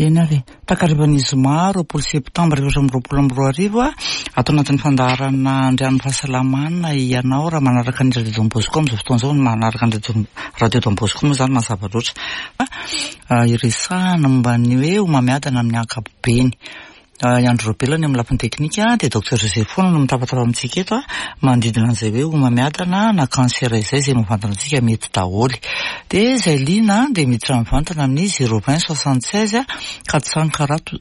Eny ary e. Takarivan'ny zoma 20 septambra 2024, ato anatin'ny fandaharana Andrian'ny Fahasalamana ianao raha manaraka ny Radio Don Bosco amin'izao fotoana izao, manaraka ny Radio Don Bosco moa izany mazava loatra. Iresahana momba ny hoe homamiadana amin'ny ankapobeny. I Andry Raobelina ny amin'ny lafiny teknika dia Docteur Joseph foana no mitabataba amintsika eto manodidina an'izay hoe homamiadana na cancer izay, izay mivantana antsika mety daholo. Dia izay liana dia miditra mivantana amin'ny 020 76 443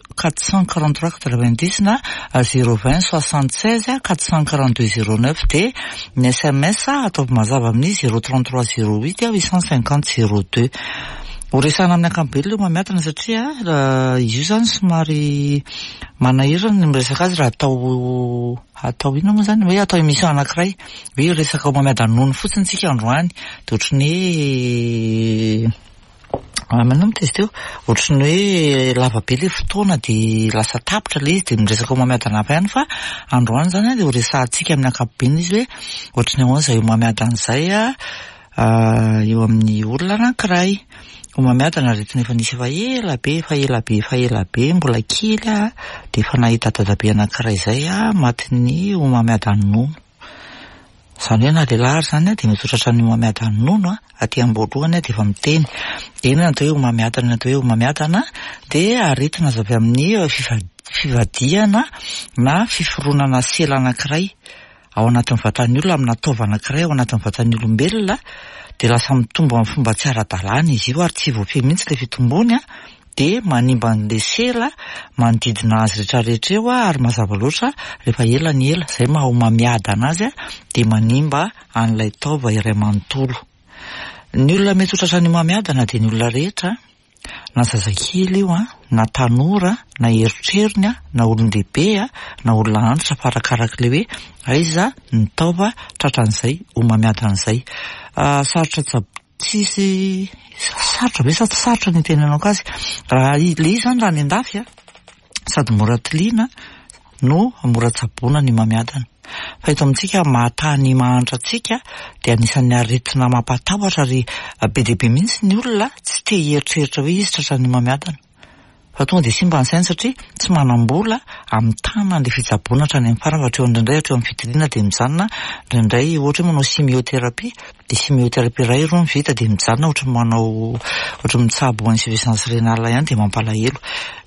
90 na 020 76 442 09 dia ny sms ataovy mazava amin'ny 033 08 850 02. Ho resahana amin'ny ankapobeny ilay homamiadana satria izy io izany somary manahirana ny miresaka azy raha atao atao inona moa izany hoe atao émission anankiray hoe hiresaka homamiadana nono fotsiny tsika androany dia ohatry ny hoe maninona moa izy teo ohatry ny hoe lava be ilay fotoana dia lasa tapitra ilay izy dia miresaka homamiadana hafa ihany fa androany izany dia ho resahantsika amin'ny ankapobeny izy hoe ohatry ny ahoana izay homamiadana izay eo amin'ny olona anankiray. Homamiadana aretina efa nisy efa ela be, efa ela be, efa ela be, mbola kely aho dia efa nahita dadabe anankiray izay aho matin'ny homamiadan'ny nono. Izany hoe na lehilahy ary izany dia mety ho tratran'ny homamiadan'ny nono aty am-boalohany dia efa miteny. Dia inona ny atao hoe homamiadana? Ny atao hoe homamiadana dia aretina azo avy amin'ny fivadihana na fiforonana sela anankiray. ao anatin'ny vatan'ny olona amina taova anankiray ao anatin'ny vatan'ny olombelona dia lasa mitombo amin'ny fomba tsy ara-dalàna izy io ary tsy voafehy mihitsy ilay fitombony dia manimba an'ilay sela manodidina azy rehetrarehetra eo ary mazava loatra rehefa ela ny ela izay maha homamiadana azy dia manimba an'ilay taova iray manontolo. Ny olona mety ho tratran'ny homamiadana dia ny olona rehetra. Na zazakely io an, na tanora, na erotrerony an, na olon-dehibe an, na olona antitra fa arakarak'ilay hoe aiza ny taova tratran'izay homamiadana izay. Sarotra tsab- tsisy sarotra ve sa tsy sarotra ny hitenenako azy? Raha ilay izy izany raha any an-dafy an, sady mora tiliana no mora tsaboina ny homamiadana. Fa eto amintsika maha tany mahantra antsika dia anisan'ny aretina mampatahotra ary be dia be mihitsy ny olona tsy te hieritreritra hoe izy tratran'ny homamiadana. Fa tonga dia simba ny sainy satria tsy manam-bola hamitana an'ilay fitsaboana hatrany amin'ny farany fa hatreo indraindray hatreo amin'ny fitiliana dia mijanona, indraindray ohatra hoe manao chimiothérapie dia chimiothérapie iray roa ny vita dia mijanona ohatry ny manao ohatry ny mitsabo insuffisance rénale ihany dia mampalahelo.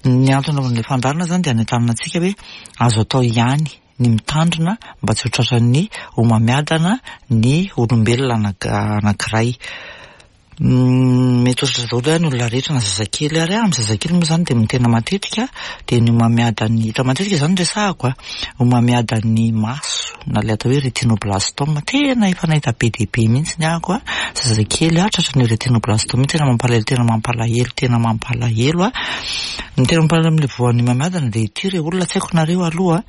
Ny antony anaovan'ilay fandaharana izany dia hanentanana antsika hoe azo atao ihany ny mitandrina mba tsy ho tratran'ny homamiadana ny olombelona anankiray. Mety ho tratra daholo ihany ny olona rehetra na zazakely ary, amin'ny zazakely moa izany dia ny tena matetika dia ny homamiadan'ny, hita matetika izany no resahako a, homamiadan'ny maso na ilay atao hoe retinoblastome, tena efa nahita be dia be mihitsy ny ahako a, zazakely a tratran'io retinoblastome io, tena mampalahelo, tena mampalahelo, tena mampalahelo a. Ny tena mampalahelo amin'ilay voan'ny homamiadana dia ity re olona, tsy haiko nareo aloha,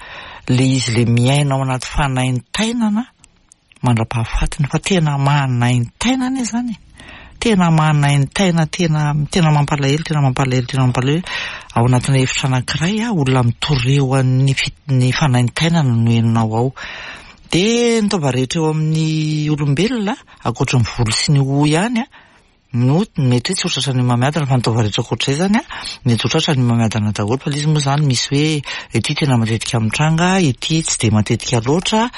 le izy le miaina ao anaty fanaintainana mandra-pahafatiny fa tena manaintaina anie zany e, tena manaintaina, tena tena mampalahelo, tena mampalahelo, tena mampalahelo, ao anatina efitra anankiray a, olona mitoreo an'ny fi- ny fanaintainana no henonao ao. Dia ny taova rehetra eo amin'ny olombelona, ankoatry ny volo sy ny hoho ihany a, No mety hoe tsy ho tratran'ny homamiadana fa ny taova rehetra ankoatr'izay izany an, mety ho tratran'ny homamiadana daholo fa ilay izy moa izany misy hoe ity tena matetika mitranga, ity tsy dia matetika loatra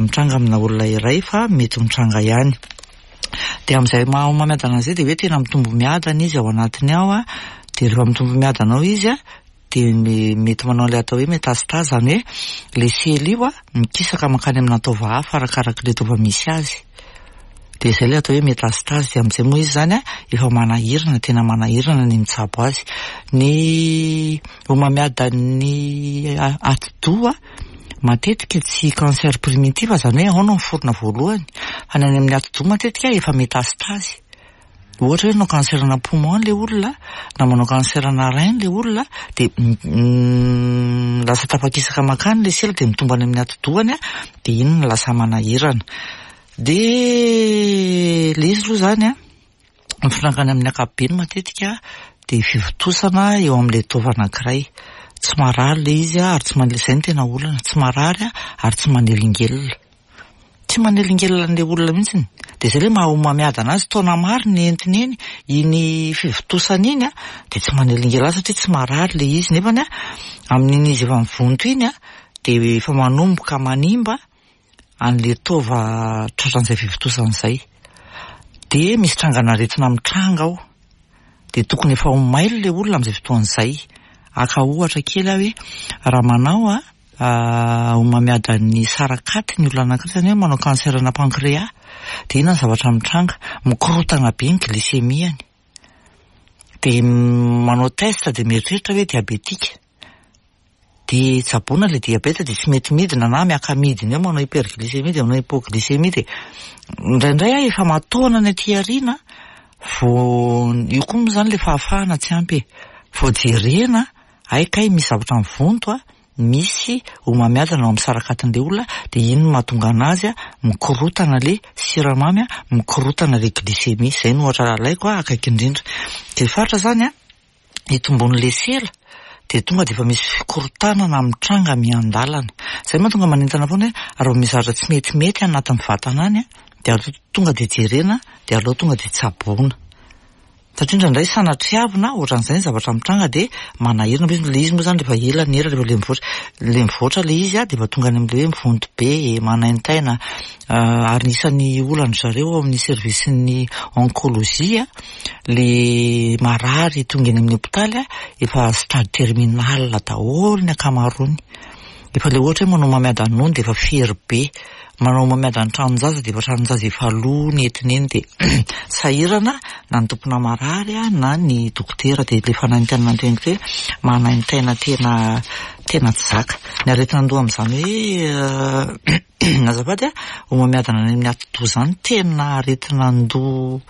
mitranga amina olona iray fa mety mitranga ihany. Dia amin'izay maha homamiadana an'izay dia hoe tena mitombo miadana izy ao anatiny ao an, dia rehefa mitombo miadana ao izy an, dia mety manao ilay atao hoe métastase, izany hoe ilay sela io an, mikisaka mankany amina taova hafa arakarak'ilay taova misy azy. Dia izay ilay atao hoe métastase, dia amin'izay moa izy izany an, efa manahirana, tena manahirana ny mitsabo azy. Ny homamiadan'ny atidoha matetika tsy cancer primitif, izany hoe ao no miforona voalohany, fa ny any amin'ny atidoha matetika efa métastase. Ohatra hoe manao cancer ana poumon ilay olona, na manao cancer ana rein ilay olona, dia lasa tafakisaka mankany ilay sela dia mitombo any amin'ny atidohany, dia iny no lasa manahirana. Dia ilay izy aloha izany an, ny fitrangany amin'ny ankapobeny matetika dia fivontosana eo amin'ilay taova anankiray. Tsy marary ilay izy ary tsy manelingelina, izay no tena olana, tsy marary ary tsy manelingelina. Tsy manelingelina an'ilay olona mihitsy. Dia izay ilay maha homamiadana azy, taona maro ny entiny eny, iny fivontosana iny an, dia tsy manelingelina azy satria tsy marary ilay izy. Nefany an, amin'iny izy efa mivonto iny an, dia efa manomboka manimba an'ilay taova tratran'izay fivontosana izay. Dia misy trangan'aretina mitranga ao. Dia tokony efa ho mailo ilay olona amin'izay fotoana izay. Haka ohatra kely aho hoe raha manao an, homamiadan'ny sarakaty ny olona anankiray, izany hoe manao cancer-na pancréas, dia inona ny zavatra mitranga? Mikorontana be ny glycémie-ny. Dia manao test dia mieritreritra hoe diabetika. Dia tsaboina ilay diabeta dia tsy mety midina na miaka-midina eo, manao hyperglycémie dia manao hypoglycémie dia indraindray aho efa mataona ny aty aoriana vao io koa moa izany ilay fahafahana tsy ampy e. Vao jerena hay kay misy zavatra mivonto a, misy homamiadana ao amin'ny sarakatin'ilay olona dia iny no mahatonga anazy mikorotana ilay siramamy a, mikorotana ilay glycémie. Izay no ohatra alaiko akaiky indrindra. Dia faritra izany a, hitomboan'ilay sela dia tonga dia efa misy fikorontanana mitranga miandalana. Izay mahatonga manentana foana hoe raha vao misy zavatra tsy metimety anatin'ny vatana any dia aleo tonga dia jerena dia aleo tonga dia tsaboina. Satria indraindray sanatriavina ohatran'izay ny zavatra mitranga dia manahirana be ilay izy moa izany rehefa ela ny ela rehefa ilay mivoatra ilay mivoatra ilay izy dia efa tonga any amin'ilay hoe mivonto be, manaintaina ary isan'ny olan-dry zareo ao amin'ny service-n'ny oncologie le marary tonga eny amin'ny hopitaly efa stade terminal daholo ny ankamaroany. Efa le ohatra hoe manao homamiadan'ny nono dia efa fery be, manao homamiadan'ny tranon-jaza dia efa tranon-jaza efa lo ny entiny eny dia sahirana na ny tompona marary na ny dokotera dia le fanaintainana teniko hoe manaintaina tena tena tsy zaka. Ny aretina an-doha amin'izany hoe Azafady a, homamiadana any amin'ny atidoha izany tena aretina an-doha.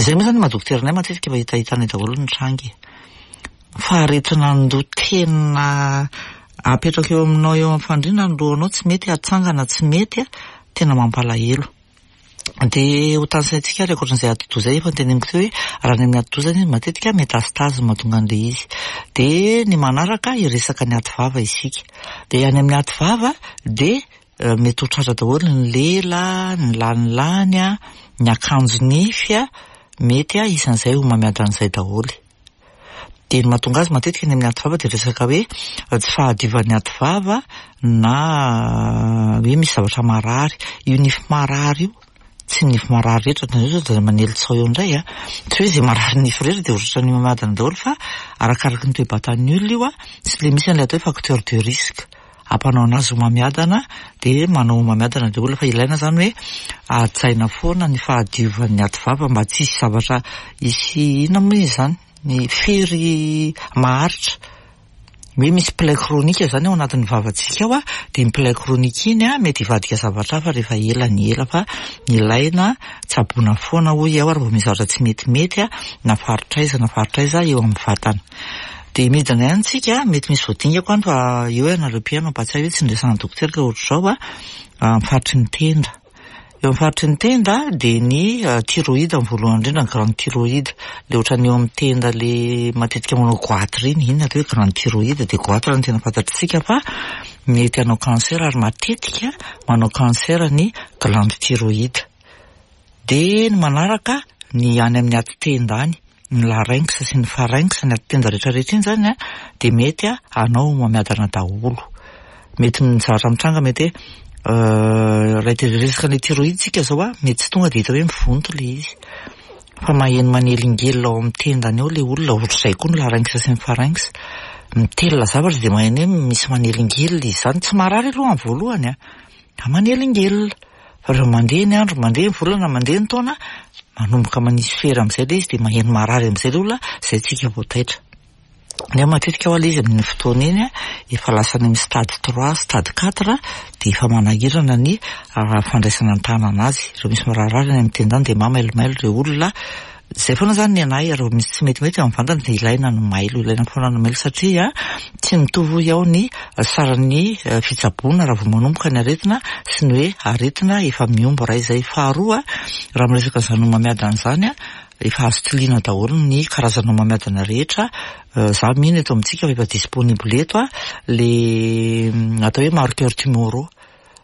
Izay moa izany maha dokotera anay matetika efa hitahitanay daholo ny tranga e. Fa aretina an-doha tena apetraka eo aminao eo amin'ny fandriana ny lohanao tsy mety atsangana tsy mety a, tena mampalahelo. Dia ho tanisaintsika ary ankoatran'izay atidoha izay efa noteneniko teo hoe raha any amin'ny atidoha izany izy matetika métastase no mahatonga an'ilay izy. Dia ny manaraka hiresaka ny ativava isika. Dia any amin'ny ativava dia mety ho tratra daholo ny lela, ny lanilany, ny akanjo nify, mety isan'izay homamiadan'izay daholo. Dia ny mahatonga azy matetika any amin'ny ativava dia resaka hoe tsy fahadiovan'ny ativava na hoe misy zavatra marary. Io nify marary io, tsy ny nify marary rehetra, nareo zao dia manely tsaho eo indray a. Tsy hoe izay marary nify rehetra dia ohatran'ny mimadina daholo fa arakaraky ny toe-batan'ny olona io a, sy ilay misy an'ilay atao hoe facteur de risque. Hampanao anazy homamiadana dia manao homamiadana ilay olona fa ilaina izany hoe hajaina foana ny fahadiovan'ny ativava mba tsy hisy zavatra hisy inona moa izy izany ny fery maharitra hoe misy plaie chronique izany ao anatin'ny vavantsika ao dia iny plaie chronique iny mety hivadika zavatra hafa rehefa ela ny ela fa ilaina tsaboina foana hoy aho ary vao misy zavatra tsy metimety na faritra aiza na faritra aiza eo amin'ny vatana. Dia midina ihany tsika, mety misy voadingako any fa eo ianareo mpihaino mampahatsiahy hoe tsy niresahan'ny dokotera ka ohatr'izao a, amin'ny faritry ny tenda. Eo amin'ny faritry ny tenda dia ny thyroïde ny voalohany indrindra, ny glande thyroïde. Ilay ohatran'ny eo amin'ny tenda ilay matetika manao goitre iny, iny no atao hoe glande thyroïde, dia goitre no tena fantatr'tsika fa mety hanao cancer ary matetika manao cancer ny glande thyroïde. Dia ny manaraka ny any amin'ny ati-tenda any. ny larynx sy ny pharynx, ny ati-tenda rehetra rehetra iny zany dia mety hanao homamiadana daholo. Mety ny zavatra mitranga mety hoe raha te resaka ny thyroïde tsika zao a, mety tsy tonga dia hita hoe mivonto ilay izy. Fa maheno manelingelina ao amin'ny tendany ao ilay olona, ohatr'izay koa ny larynx sy ny pharynx. Mitelina zavatra dia maheno hoe misy manelingelina izy izany, tsy marary aloha amin'ny voalohany a, fa manelingelina. Fa rehefa mandeha ny andro, mandeha ny volana, mandeha ny taona, manomboka manisy fery amin'izay ilay izy dia maheno marary amin'izay ilay olona, izay tsika vao taitra. Nefa matetika hoa ilay izy amin'iny fotoana iny efa lasa any amin'ny stade 3, stade 4 dia efa manahirana ny fandraisana an-tanana azy. Rehefa misy mararirary any amin'ny tendany dia mamailomailo ireo olona. Izay foana izany ny anay, raha vao misy tsy metimety eo amin'ny vantana dia ilaina ny mailo, ilaina foana ny mailo satria tsy mitovy hoy aho ny saran'ny fitsaboana raha vao manomboka ny aretina sy ny hoe aretina efa mihombo iray izay. Faharoa, raha miresaka an'izany homamiadana izany, efa azo tiliana daholo ny karazana homamiadana rehetra, za mino eto amintsika fa efa disponible eto le atao hoe marqueur tumoraux.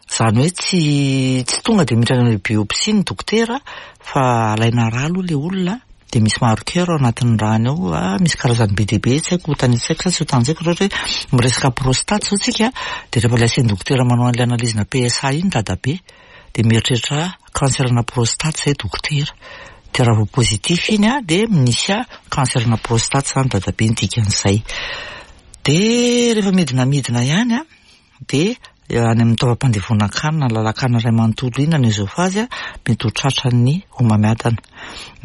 Izany hoe tsy tsy tonga dia miditra any amin'ny biopsie ny dokotera fa alaina rà aloha ilay olona dia misy marqueur ao anatin'ny ràny ao, misy karazany be dia be tsy haiko hotanisaiko sa tsy hotanisaiko raha ohatra hoe miresaka prostate izao tsika dia rehefa ilay asian'ny dokotera manao an'ilay analyse-na PSA iny dadabe dia mieritreritra cancer-na prostate izay dokotera. Dia raha vao positif iny dia misy cancer-na prostate izany dadabe ny dikan'izay. Dia rehefa midina midina ihany dia any amin'ny taovam-pandevonan-kanina, ny lalan-kanina iray manontolo iny na ny oesophage mety ho tratran'ny homamiadana.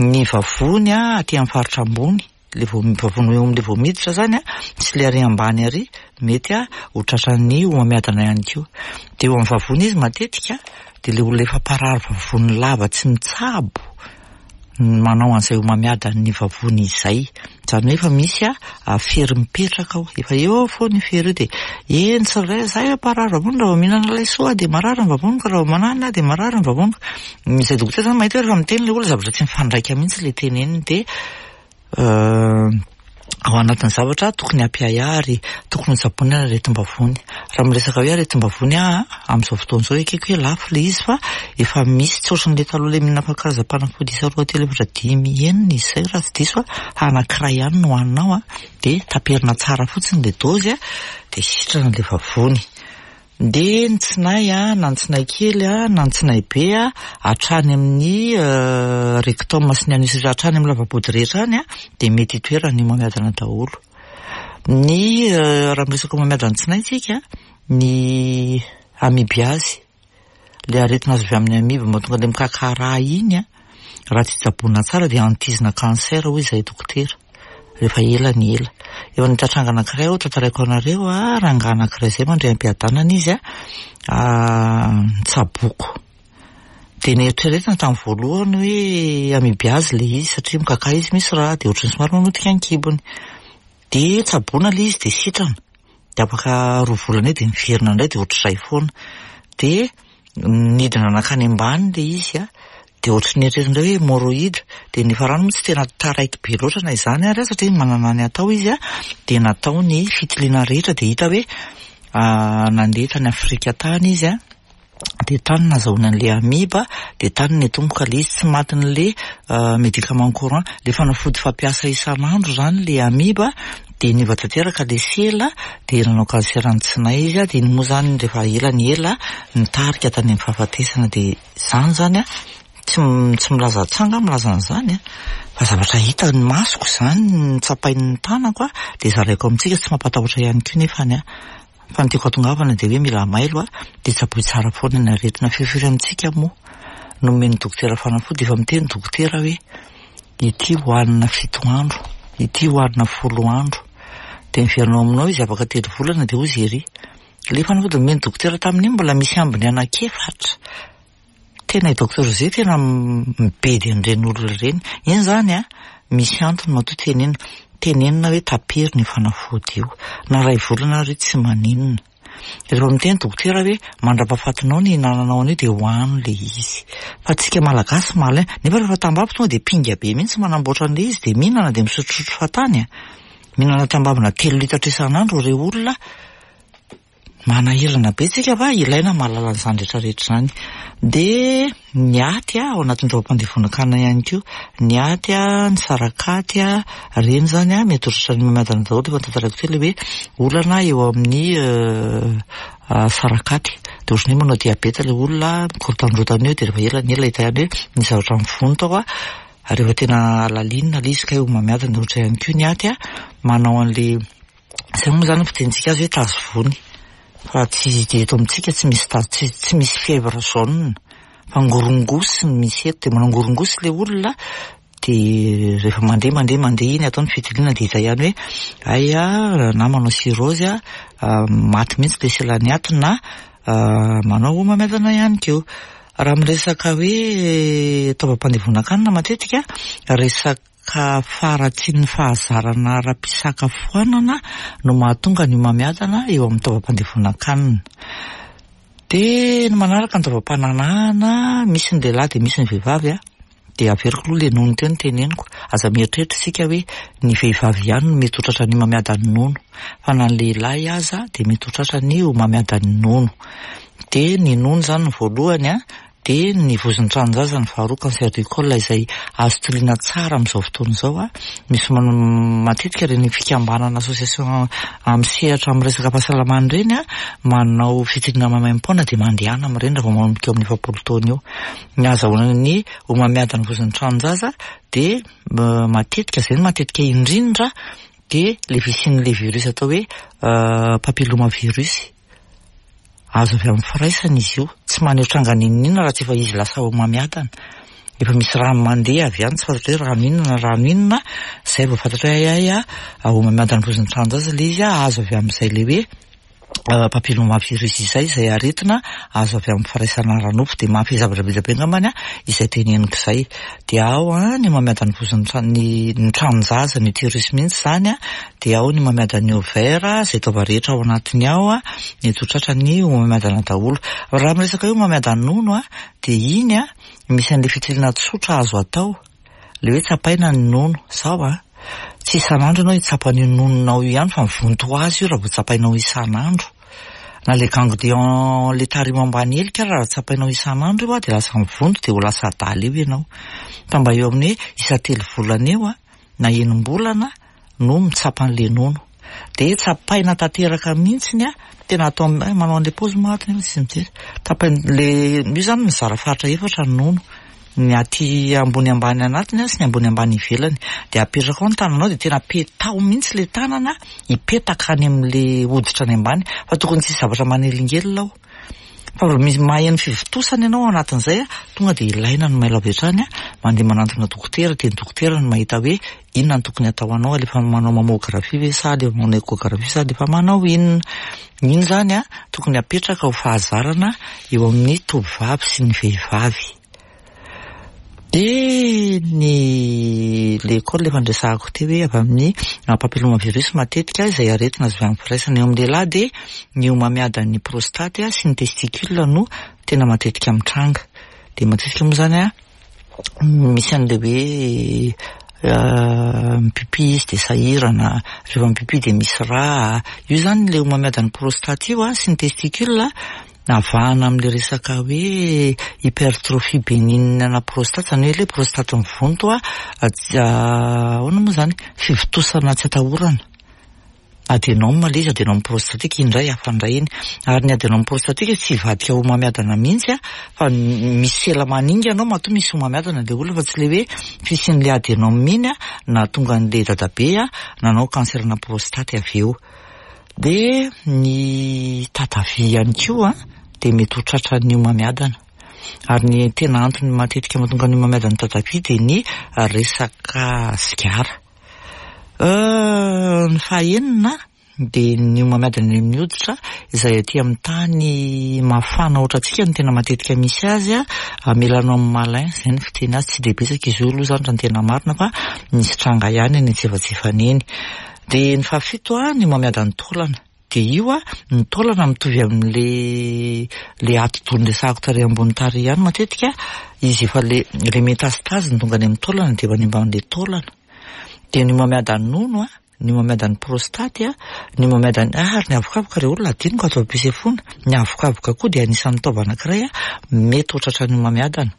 Ny vavony aty amin'ny faritra ambony, ilay vao vavony eo amin'ilay vao miditra izany sy ilay ary ambany ary mety ho tratran'ny homamiadana ihany koa. Dia eo amin'ny vavony izy matetika dia ilay olona efa mparary vavony lava tsy mitsabo manao an'izay homamiadan'ny vavony izay. Izany hoe efa misy fery mipetraka ao, efa eo foana io fery io dia eny tsirairay izahay mparary vavony raha vao mihinana laisoa aho dia marary ny vavoniko, raha vao mananona aho dia marary ny vavoniko. Izay dokotera izany mahita hoe rehefa miteny ilay olona zavatra tsy mifandraika mihitsy ilay teneniny dia ao anatin'ny zavatra tokony hampiahiahy ary tokony hotsaboina ny aretim-bavony. Raha miresaka hoe aretim-bavony aho amin'izao fotoana izao ekeko hoe lafo ilay izy fa efa misy tsy ohatran'ilay taloha ilay mihinana karazam-panafody isa 2 3 4 5 6 izay raha tsy diso fa anankiray ihany no hohaninao dia taperina tsara fotsiny ilay dôzy dia sitrana ilay vavony. Dia ny tsinay na ny tsinay kely na ny tsinay be hatrany amin'ny rectum sy ny anus hatrany amin'ny lava-body rehetra any dia mety hitoeran'ny homamiadana daholo. Ny raha miresaka homamiadan'ny tsinay tsika, ny amibiazy, ilay aretina azo avy amin'ny amibe mahatonga ilay mikaka rà iny, raha tsy tsaboina tsara dia antizina cancer hoy izahay dokotera. Rehefa ela ny ela. Eo amin'ny tranga anankiray aho tantaraiko anareo, rangahy anankiray izay mandray am-piadanana izy, nitsaboko. Dia neritreretina tamin'ny voalohany hoe amibiazy ilay izy satria mikaka izy misy rà dia ohatran'ny somary mamotika ny kibony. Dia tsaboina ilay izy dia sitrana. Dia afaka 2 volana eo dia miverina indray dia ohatr'izay foana. Dia nidina nankany ambany ilay izy dia ohatran'ny eritreretina indray hoe hémorroïde. Dia ny farany moa tsy tena taraiky be loatra na izany ary satria manana ny atao izy dia natao ny fitiliana rehetra dia hita hoe nandeha tany Afrika tany izy dia tany nazahoany an'ilay amiba dia tany nitomboka ilay izy tsy matin'ilay médicament courant, ilay fanafody fampiasa isan'andro izany ilay amiba dia niova tanteraka ilay sela dia nanao cancer ny tsinay izy dia iny moa izany rehefa ela ny ela nitarika tany amin'ny fahafatesana dia izany izany tsy milaza tsanga milaza an'izany fa zavatra hita ny masoko izany notsapain'ny tanako dia zaraiko amintsika tsy mampatahotra ihany koa nefa ny fa ny tiako hatongavana dia hoe mila mailo dia tsaboy tsara foana ny aretina. Firifiry amintsika moa nomen'ny dokotera fanafody efa miteny dokotera hoe ity hohanina 7 andro, ity hohanina 10 andro, dia miverina ao aminao izy afaka 3 volana dia hozy ery ilay fanafody nomen'ny dokotera tamin'iny mbola misy ambiny anankiefatra. Tena i docteur José tena mibedy an'ireny olona ireny. Iny izany misy antony matoa tenenina. Tenenina hoe tapery ny fanafody io. Na 1 volana ary tsy maninona. Rehefa miteny dokotera hoe mandra-pahafatinao ny hinananao an'io dia hohano ilay izy. Fa tsika malagasy malin. Nefa rehefa tambavy tonga dia pinga be mihitsy manamboatra an'ilay izy dia mihinana dia misotrosotro fahatany. Mihinana tambavina 3 litatra isan'andro ireo olona. Manahirana be tsika fa ilaina mahalala an'izany rehetrarehetra izany. Dia ny aty ao anatin'ny taovam-pandevonan-kanina ihany koa, ny aty, ny sarakaty, ireny izany mety ho tratran'ny miadana daholo efa notantaraiko teo ilay hoe olana eo amin'ny sarakaty. Dia ohatran'ny hoe manao diabeta ilay olona, mikorotandrotana eo dia rehefa ela ny ela hita ihany hoe nisy zavatra mivonto ao. Ary rehefa tena lalinina ilay izy kay homamiadana ohatra ihany koa ny aty manao an'ilay Izay moa izany fitenitsika azy hoe tazo vony fa tsy dia eto amintsika tsy misy tazo, tsy misy fièvre jaune fa ngorongosy no misy eto. Dia manao ngorongosy ilay olona dia rehefa mandeha mandeha mandeha iny atao ny fitiliana dia hita ihany hoe hay na manao cirrhose maty mihitsy ilay selan'ny aty na manao homamiadana ihany koa. Raha miresaka hoe taovam-pandevonan-kanina matetika resaka ka faharatsian'ny fahazarana ara-pisakafoanana no mahatonga ny homamiadana eo amin'ny taovam-pandevonan-kanina. Dia ny manaraka ny taovam-pananahana, misy ny lehilahy dia misy ny vehivavy. Dia averiko aloha ilay nono teo no teneniko. Aza mieritreritra isika hoe ny vehivavy ihany no mety ho tratran'ny homamiadan'ny nono, fa na ny lehilahy aza dia mety ho tratran'ny homamiadan'ny nono. Dia ny nono izany ny voalohany an, dia ny vozon'ny tranon-jaza ny faharoa, cancer du col izay azo tiliana tsara amin'izao fotoana izao an. Misy matetika ireny fikambanana association amin'ny sehatra amin'ny resaka fahasalamana ireny an, manao fitiliana maimaimpoana dia mandehana amin'ireny raha vao manomboka eo amin'ny 40 taona eo. Ny ahazahoana ny homamiadan'ny vozon'ny tranon-jaza dia matetika, izay no matetika indrindra, dia ilay fisian'ilay virus atao hoe papillomavirus. Azo avy amin'ny firaisana izy io. Tsy maneho tranga n'inon'inona raha tsy efa izy lasa homamiadana. Efa misy rano mandeha avy any, tsy fantatra hoe rano inona na rano inona, izay vao fantatra hoe hay hay homamiadana vozon'ny tranon-jaza ilay izy, azo avy amin'izay ilay hoe papillomavirus izay, izay aretina azo avy amin'ny firaisana ara-nofo. Dia mahafehy zavatra be dia be angambany izay teneniko izay. Dia ao ny homamiadan'ny vozon'ny tra-, ny ny tranon-jaza, ny utérus mihitsy izany, dia ao ny homamiadan'ny ovaire, izay taova rehetra ao anatiny ao, mety ho tratran'ny homamiadana daholo. Raha miresaka hoe homamiadan'ny nono, dia iny misy an'ilay fitiliana tsotra azo atao. Ilay hoe tsapaina ny nono, sao an! Tsy isan'andro ianao hitsapa an'io nononao io ihany fa mivonto ho azy io raha vao tsapainao isan'andro. Na ilay ganglion ilay tarimo ambany helika ary raha tsapainao isan'andro io dia lasa mivonto dia ho lasa adala eo ianao. Fa mba eo amin'ny hoe isan-telo volana eo na enim-bolana no mitsapa an'ilay nono. Dia tsapaina tanteraka mihitsiny an, tena atao eh, manao an'ilay paozy moa ato nefa tsy mijery. Tapaina ilay, io izany mizara faritra efatra ny nono. Ny aty ambony ambany anatiny sy ny ambony ambany ivelany. Dia apetraka ao ny tananao dia tena petaho mihitsy ilay tanana hipetaka any amin'ilay hoditra any ambany. Fa tokony tsy hisy zavatra manelingelina ao. Fa vao misy maheno fivontosana ianao ao anatin'izay, tonga dia ilaina ny mailo avy hatrany, mandeha manantona dokotera, dia ny dokotera no mahita hoe inona no tokony atao anao, alefa manao mammographie ve sa alefa manao échographie sa alefa manao inona. Iny izany tokony apetraka ho fahazarana eo amin'ny tovovavy sy ny vehivavy. Dia ny l'école efa niresahako teo hoe avy amin'ny papillomavirus matetika izay aretina azo avy amin'ny firaisana. Eo amin'ny lehilahy dia ny homamiadan'ny prostate sy ny testicule no tena matetika mitranga. Dia matetika moa izany misy an'ilay hoe mipipi izy dia sahirana, rehefa mipipi dia misy rà. Io izany ilay homamiadan'ny prostate io sy ny testicule Avahana amin'ilay resaka hoe hypertrophie bénigne ana prostate, izany hoe ilay prostate mivonto, ahoana moa izany, fivontosana tsy atahorana. Adenome ilay izy, adenome prostatique, iny indray hafa indray iny. Ary ny adenome prostatique tsy hivadika homamiadana mihitsy fa misy sela maningana ao matoa misy homamiadana ilay olona fa tsy ilay hoe fisian'ilay adenome iny nahatonga an'ilay dadabe nanao cancer-na prostate avy eo. Dia ny tatavia ihany koa dia mety ho tratran'ny homamiadana. Ary ny tena antony matetika mahatonga ny homamiadan'ny tatavia dia ny resaka sigara. Ny fahaenina dia ny homamiadana eny amin'ny hoditra izay aty amin'ny tany mafana ohatrantsika no tena matetika misy azy, mélanome malin izay no fiteny azy, tsy dia betsaka izy io aloha izany raha ny tena marina fa misy tranga ihany eny antsefajefany eny. Dia ny fahafito a, ny homamiadan'ny taolana. Dia io a, ny taolana mitovy amin'le le atidoha niresahako tary ambony tary ihany matetika, izy efa le le métastase no tonga any amin'ny taolana dia manimba an'le taolana. Dia ny homamiadan'ny nono a, ny homamiadan'ny prostate a, ny homamiadan'ny, ah ary ny avokavoka re olona adinoko ato am-pisefoana, ny avokavoka koa dia anisan'ny taova anankiray a, mety ho tratran'ny homamiadana.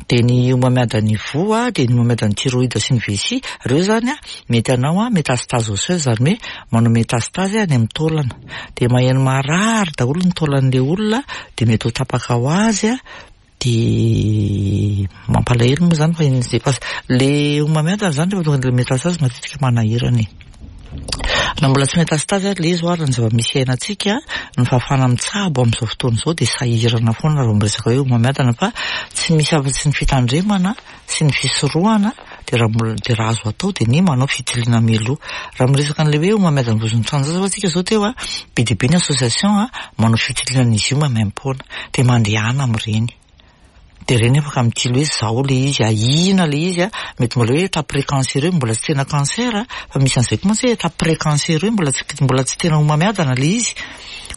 Dia ny homamiadan'ny voa, dia ny homamiadan'ny thyroïde sy ny vessie, ireo izany mety hanao métastase osseuse, izany hoe manao métastase any amin'ny taolana. Dia maheno marary daholo ny taolan'ilay olona, dia mety ho tapaka ho azy, dia mampalahelo moa izany fa iny efa ilay homamiadana izany rehefa tonga amin'ilay métastase matetika manahirana e. Na mbola tsy métastase ary ilay izy ho'a, raha ny zava-misy iainantsika, ny fahafahana mitsabo amin'izao fotoana izao dia sahirana foana raha vao miresaka hoe homamiadana fa tsy misy afa-tsy ny fitandremana sy ny fisorohana dia raha mbola dia raha azo atao dia ny manao fitiliana mialoha. Raha miresaka an'ilay hoe homamiadan'ny vozon'ny tranon-jaza ho'a tsika izao teo a, be dia be ny association manao fitiliana an'izy io maimaimpoana dia mandehana amin'ireny. Dia ireny afaka mitily hoe izao ilay izy, ahiana ilay izy, mety mbola hoe état pré-cancéreux, mbola tsy tena cancer, fa misy an'izay koa mantsy hoe état pré-cancéreux, mbola tsy mbola tsy tena homamiadana ilay izy,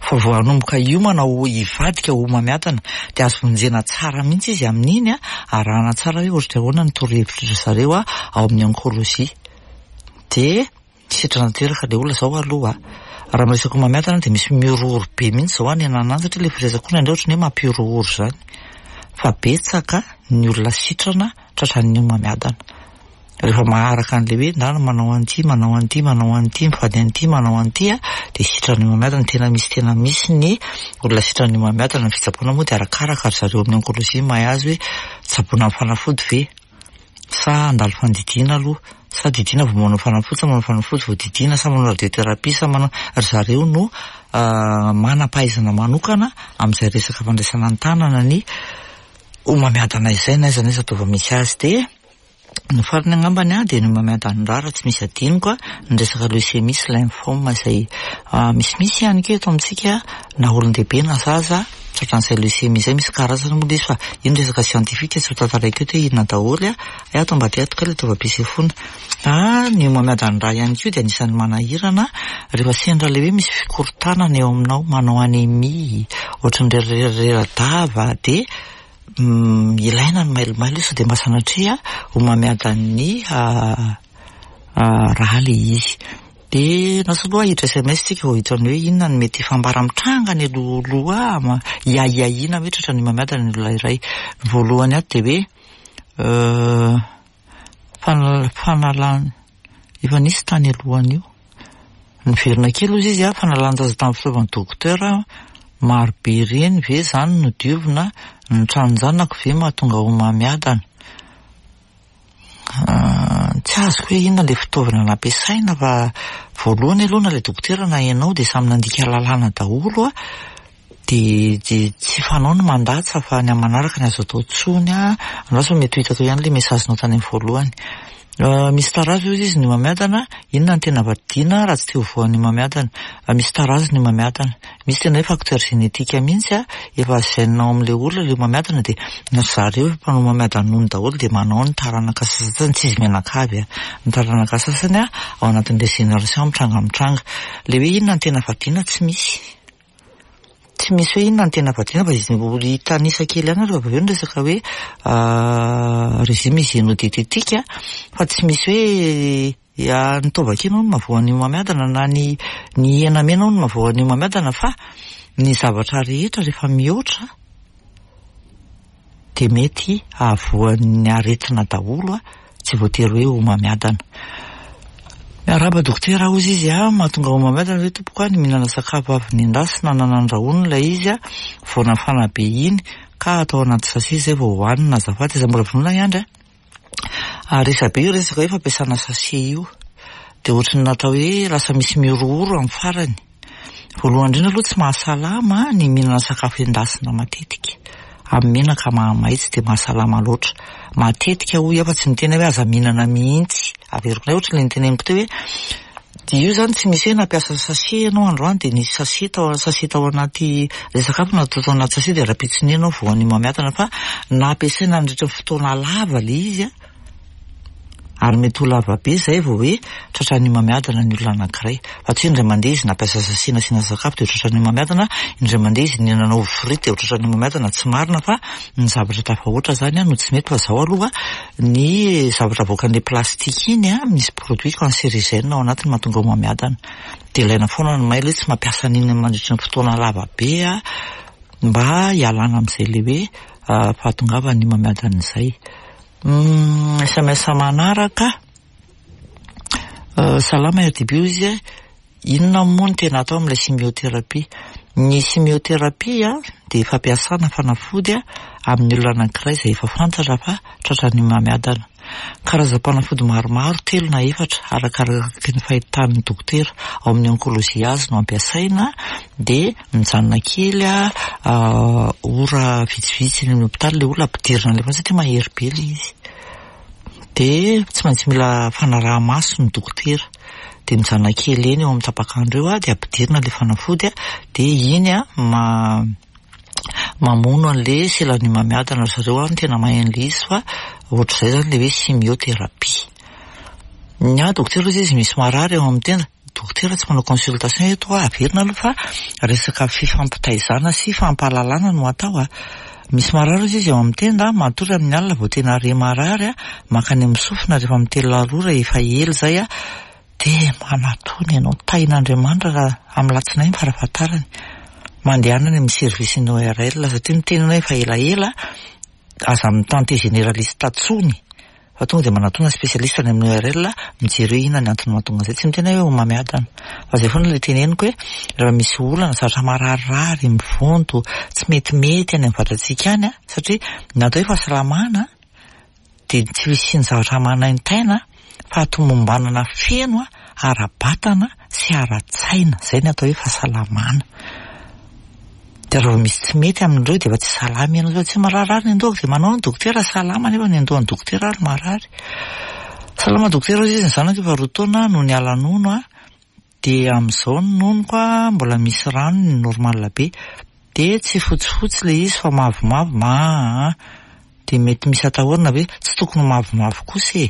fa vao hanomboka hiomana ho hivadika ho homamiadana. Dia azo vonjena tsara mihitsy izy amin'iny, arahana tsara hoe ohatry ny ahoana ny torohevitry ry zareo ao amin'ny oncologie. Dia. Sitrana tanteraka ilay olona izao aloha. Raha miresaka homamiadana dia misy mihorohoro be mihitsy izao any anana any satria ilay firesaka koa indraindray ohatran'ny hoe mampihorohoro izany. Fa betsaka ny olona sitrana tratran'ny homamiadana. Rehefa maharaka an'ilay hoe ndana manao an'ity, manao an'ity, manao an'ity, mifady an'ity, manao an'ity dia sitran'ny homamiadana. Tena misy tena misy ny olona sitran'ny homamiadana. Ny fitsaboana moa dia arakaraka ry zareo amin'ny oncologie mahay azy hoe tsaboina amin'ny fanafody ve sa handalo fandidiana aloha sa didiana vao manao fanafody sa manao fanafody vao didiana sa manao radiothérapie sa manao ry zareo no manam-pahaizana manokana amin'izay resaka fandraisana an-tanana ny homamiadana izay na aiza na aiza taova misy azy. Dia ny farany angambany dia ny homamiadan'ny rà raha tsy misy adinoko ny resaka leucémie sy lymphome izay misimisy ihany koa eto amintsika na olon-dehibe na zaza tratran'izay leucémie izay. Misy karazany moa ilay izy fa io ny resaka scientifique tsy ho tantaraiko eto hoe inona daholo. Hay ato ambadika ato kay ilay taovam-pisefoana. Ny homamiadan'ny rà ihany koa dia anisan'ny manahirana rehefa sendra ilay hoe misy fikorontanana eo aminao, manao anémie, ohatran'ny rerarera-dava dia ilaina ny mailomailo sao dia mba sanatria homamiadan'ny rà ilay izy. Dia lasa aloha hiditra SMS tsika vao hiditra amin'ny hoe inona no mety fambara mitranga any alohaloha hiahiahiana hoe tratran'ny homamiadana ny olona iray. Ny voalohany ato dia hoe fanalana efa nisy tany alohan'io. Niverina kely hozy izy fanalan-jaza tamin'ny fitaovan'ny dokotera maro be ireny ve izany no diovina, ny tranon-janako ve mahatonga homamiadana? Tsy azoko hoe inona ilay fitaovana nampiasaina fa voalohany aloha na ilay dokotera na ianao dia samy nandika lalàna daholo dia tsy fanao ny mandatsa fa ny amin'ny manaraka ny azo atao intsony. Andraso fa mety ho hitako ihany ilay message-nao tany amin'ny voalohany. Misy tarazo hozy izy ny homamiadana, inona no tena vadiana raha tsy te ho voan'ny homamiadana? Misy tarazo ny homamiadana, misy tena hoe facteur génétique mihitsy, efa gène ao amin'ilay olona ilay homamiadana dia ry zareo efa mpanao homamiadana nono daholo dia manao ny taranaka sasany, tsy izy mianakavy, ny taranaka sasany ao anatin'ilay génération mitranga mitranga. Ilay hoe inona no tena vadiana tsy misy. Tsy misy hoe inona no tena vadiana fa izy hitanisa kely ihany rehefa avy eo ny resaka hoe régime hygiéno-diététique fa tsy misy hoe ny taovakena hono mahavoan'ny homamiadana na ny hena mena hono mahavoan'ny homamiadana fa ny zavatra rehetra rehefa mihoatra dia mety hahavoan'ny aretina daholo tsy voatery hoe homamiadana. Miarahaba dokotera hozy izy mahatonga homamiadana ve tompoko ny mihinana sakafo avy nendasina na nandrahoina ilay izy vao nafana be iny ka atao anaty sachet izay vao hohanina azafady aza mbola vonona hiandry Resabe io resaka hoe fampiasana sachet io dia ohatran'ny natao hoe lasa misy mihorohoro amin'ny farany. Voalohany indrindra aloha tsy mahasalama ny mihinana sakafo endasina matetika amin'ny menaka mahamay, tsy dia mahasalama loatra matetika hoy aho fa tsy miteny hoe aza mihinana mihitsy. Averiko indray ohatran'ilay noteneniko teo hoe dia io izany tsy misy hoe nampiasa sachet ianao androany dia nisy sachet tao, sachet tao anaty ilay sakafo natao tao anaty sachet dia rahampitso ianao voan'ny homamiadana fa nampiasaina nandritra ny fotoana lava ilay izy ary mety ho lava be izay vao hoe tratran'ny homamiadana ny olona anankiray. Fa tsy hoe indray mandeha izy nampiasa sachet nasiana sakafo dia ho tratran'ny homamiadana, indray mandeha izy nihinana ovy frity dia ho tratran'ny homamiadana, tsy marina fa ny zavatra tafahoatra izany no tsy mety fa izao aloha ny zavatra avoakan'ilay plastique iny misy produit cancérigène ao anatiny mahatonga homamiadana. Dia ilaina foana ny mailo hoe tsy mampiasa an'iny mandritra ny fotoana lava be mba hialana amin'izay ilay hoe fahatongavan'ny homamiadana izay. SMS manaraka. Salama RDB hoy izy, inona moa no tena atao amin'ilay chimiothérapie? Ny chimiothérapie dia fampiasana fanafody amin'ny olona anankiray izay efa fantatra fa tratran'ny homamiadana. Karazam-panafody maromaro, 3 na 4, arakaraka ny fahitan'ny dokotera ao amin'ny oncologie azy no ampiasaina, dia mijanona kely ora vitsivitsy eny amin'ny hopitaly ilay olona ampidirina ilay fa satria mahery be ilay izy. Dia tsy maintsy mila fanaraha-maso ny dokotera. Dia mijanona kely eny eo amin'ny tapak'andro eo dia ampidirina ilay fanafody dia iny mamono an'ilay selan'ny homamiadana ry zareo no tena mahay an'ilay izy fa ohatr'izay izany ilay hoe chimiothérapie. Ny ahy dokotera hozy izy misy marary eo amin'ny tenda. Dokotera tsy manao consultation eto averina aloha fa resaka fifampitaizana sy fampahalalana no atao. Misy marary hozy izy eo amin'ny tenda, matory amin'ny alina vao tena re marary, mankany amin'ny sofina rehefa mitelina rora efa ela izay. Dia manatona ianao, tahin'Andriamanitra raha amin'ny latsinainy farafahatarany. Mandehana any amin'ny service ny ORL satria ny tenanao efa elaela, aza mi-tenter généraliste intsony fa tonga dia manatona spécialiste any amin'ny ORL mijery hoe inona ny antony mahatonga an'izay. Tsy miteny aho hoe homamiadana fa izay foana ilay teneniko hoe raha misy olana, zavatra mararirary, mivonto, tsy metimety any amin'ny vatantsika any satria ny atao hoe fahasalamana dia tsy fisian'ny zavatra manaintaina fahatomombanana feno ara-batana sy ara-tsaina, izay ny atao hoe fahasalamana. Dia raha vao misy tsy mety amin'ireo dia efa tsy salama ianao, fa tsy mararirary ny andohako dia manao ny dokotera salama nefa ny andohan'ny dokotera ary marary. Salama dokotera hoy izy, ny zanako efa 2 taona no niala nono a, dia amin'izao ny nonoko a mbola misy ranony normal be, dia tsy fotsifotsy ilay izy fa mavomavo, aa dia mety misy atahorana ve? Tsy tokony ho mavomavo kosa e,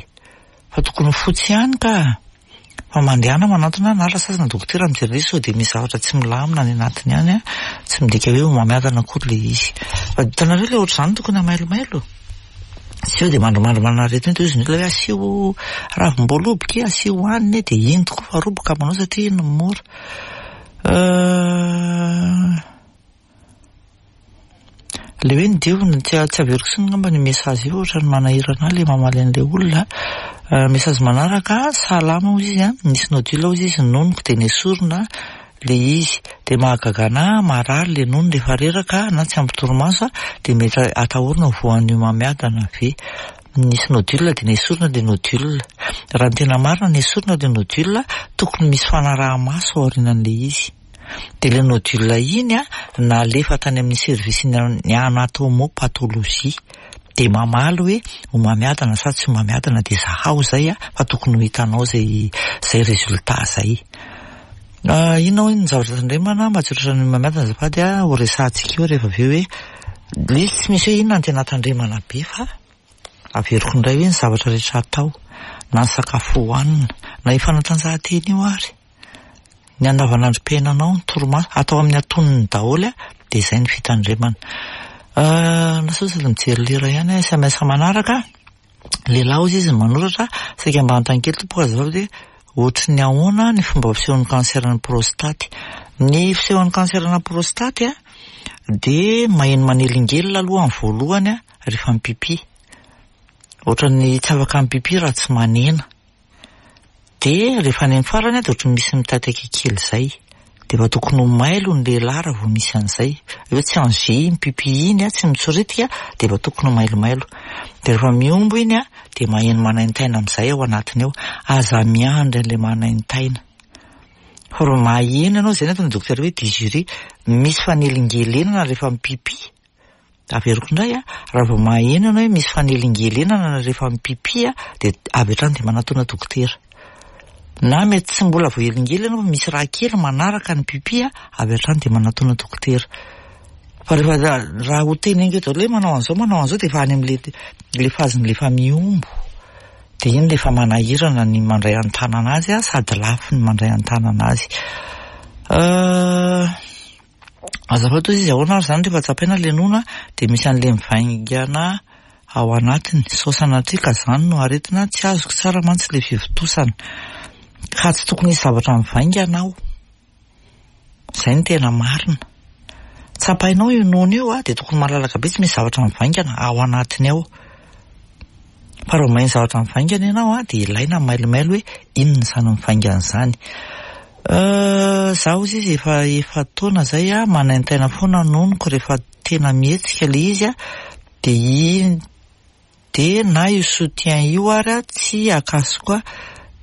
fa tokony ho fotsy ihany ka. Fa mandehana manantona na rasazana dokotera mijery ilay izy sao dia misy zavatra tsy milamina any anatiny any a, tsy midika hoe homamiadana akory ilay izy. Fa hitanareo ilay ohatr'izany tokony hamailomailo. Tsy eo dia mandrimandry manana aretina eo dia hozy ny olona hoe asio ravim-boaloboka e, asio hanina e, dia iny tokoa fa roboka manao satria iny no mora. Ilay hoe ny diovina, tsy tsy averiko intsony angamba ny message io ohatran'ny manahirana ahy ilay mamaly an'ilay olona. Message manaraka, salama hozy izy an, nisy nodule hozy izy ny nonoko dia nesorina ilay izy. Dia mahagaga anah, marary ilay nono rehefa reraka na tsy ampy torimaso dia mety atahorana ho voan'ny homamiadana ve? Nisy nodule dia nesorina ilay nodule. Raha ny tena marina nesorina ilay nodule, tokony misy fanaraha-maso aorianan'ilay izy. Dia ilay nodule iny an, nalefa tany amin'ny service ny anatomopathologie. Dia mamaly hoe homamiadana sa tsy homamiadana dia zahao izay an, fa tokony ho hitanao izay izay résultat izay. Inona hoy ny zavatra tandremana mba tsy ho tratran'ny homamiadana azafady an, ho resahantsika eo rehefa avy eo hoe ilay izy tsy misy hoe inona no tena tandremana be fa averiko indray hoe ny zavatra rehetra atao na ny sakafo hohanina na io fanatanjahantena io ary. Ny andavanandrom-piainanao, ny torimaso, atao amin'ny antonony daholo dia izay ny fitandremana. Na sao sady mijery lera ihany aho, SMS manaraka, lehilahy hozy izy no manoratra, saika mba hanontany kely tompoko azafady hoe ohatry ny ahoana ny fomba fisehon'ny cancer-n'ny prostaty. Ny fisehon'ny cancer-na prostaty dia maheno manelingelina aloha amin'ny voalohany rehefa mipipi. Ohatran'ny tsy afaka mipipi raha tsy manena. Dia rehefa any amin'ny farany dia ohatran'ny misy mitaitaika kely izay. Dia efa tokony ho mailo ny lehilahy raha vao misy an'izay. Hoe tsy en G iny pipi iny, tsy mitsoritika, dia efa tokony ho mailomailo. Dia rehefa mihombo iny dia maheno manaintaina amin'izay ao anatiny ao. Aza miandry an'ilay manaintaina. Fa raha maheno ianao, izay no ataon'ny dokotera hoe dysurie, misy fanelingelenana rehefa mipipi. Averiko indray a, raha vao maheno ianao hoe misy fanelingelenana rehefa mipipi a, dia avy hatrany dia manatona dokotera. Na mety tsy mbola voahelingelina ianao fa misy raha kely manaraka ny pipi a, avy hatrany dia manatona dokotera. Fa rehefa raha ho teneniko eto daholo hoe manao an'izao manao an'izao dia efa any amin'ilay ilay phase-n'ilay efa mihombo. Dia iny ilay efa manahirana ny mandray an-tanana azy a, sady lafo ny mandray an-tanana azy. Azafady hozy izy, ahoana ary izany rehefa tsapaina ilay nono dia misy an'ilay mivaingana ao anatiny, sao sanatria ka izany no aretina, tsy azoko tsara mantsy ilay fivontosana. Ka tsy tokony hisy zavatra mivaingana ao. Izay no tena marina. Tsapainao io nono io dia tokony malalaka be tsy misy zavatra mivaingana ao anatiny ao. Fa raha maheno zavatra mivaingana ianao dia ilaina ny mailomailo hoe inona izany mivaingana izany. Za hozy izy efa efa-taona izay aho manaintaina foana ny nonoko rehefa tena mihetsika ilay izy dia iny dia na io soutien io ary tsy akasoko ahy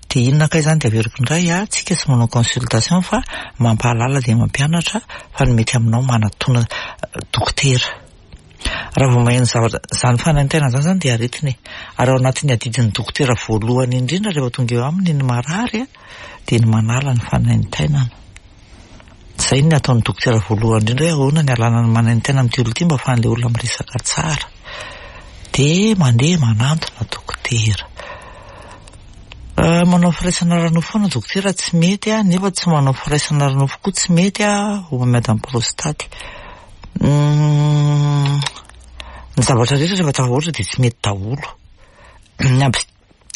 dia inona kay izany dia averiko indray aho tsika tsy manao consultation fa mampahalala dia mampianatra fa ny mety aminao manatona dokotera. Raha vao maheno zavatra, izany fanaintainana izany izany dia aretina e. Ary ao anatin'ny adidin'ny dokotera voalohany indrindra rehefa tonga eo aminy ny marary dia ny manala ny fanaintainana. Izay ny ataon'ny dokotera voalohany indrindra hoe ahoana ny alana ny manaintaina amin'ity olona ity mba ahafahan'ilay olona miresaka tsara. Dia mandeha manantona dokotera. Manao firaisana ara-nofo foana dokotera tsy mety nefa tsy manao firaisana ara-nofo koa tsy mety homamiadan'ny prostaty. Ny zavatra rehetra rehefa tafahoatra dia tsy mety daholo. Ny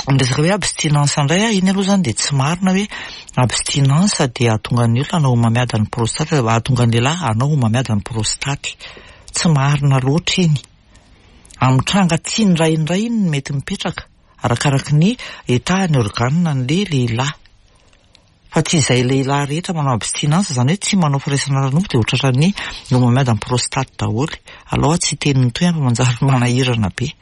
Ny resaka hoe abstinence indray a, iny aloha izany dia tsy marina hoe abstinence dia hahatonga ny olona hanao homamiadan'ny prostate, hahatonga ny lehilahy hanao homamiadan'ny prostate. Tsy marina loatra iny. Amin'ny tranga tsy indraindray iny no mety mipetraka, arakaraky ny état ny organe an'ilay lehilahy. Fa tsy izay lehilahy rehetra manao abstinence, izany hoe tsy manao firaisana ara-nofo dia ho tratran'ny homamiadan'ny prostate daholo. Alao aho tsy hiteny ny tohiny fa manjary manahirana be.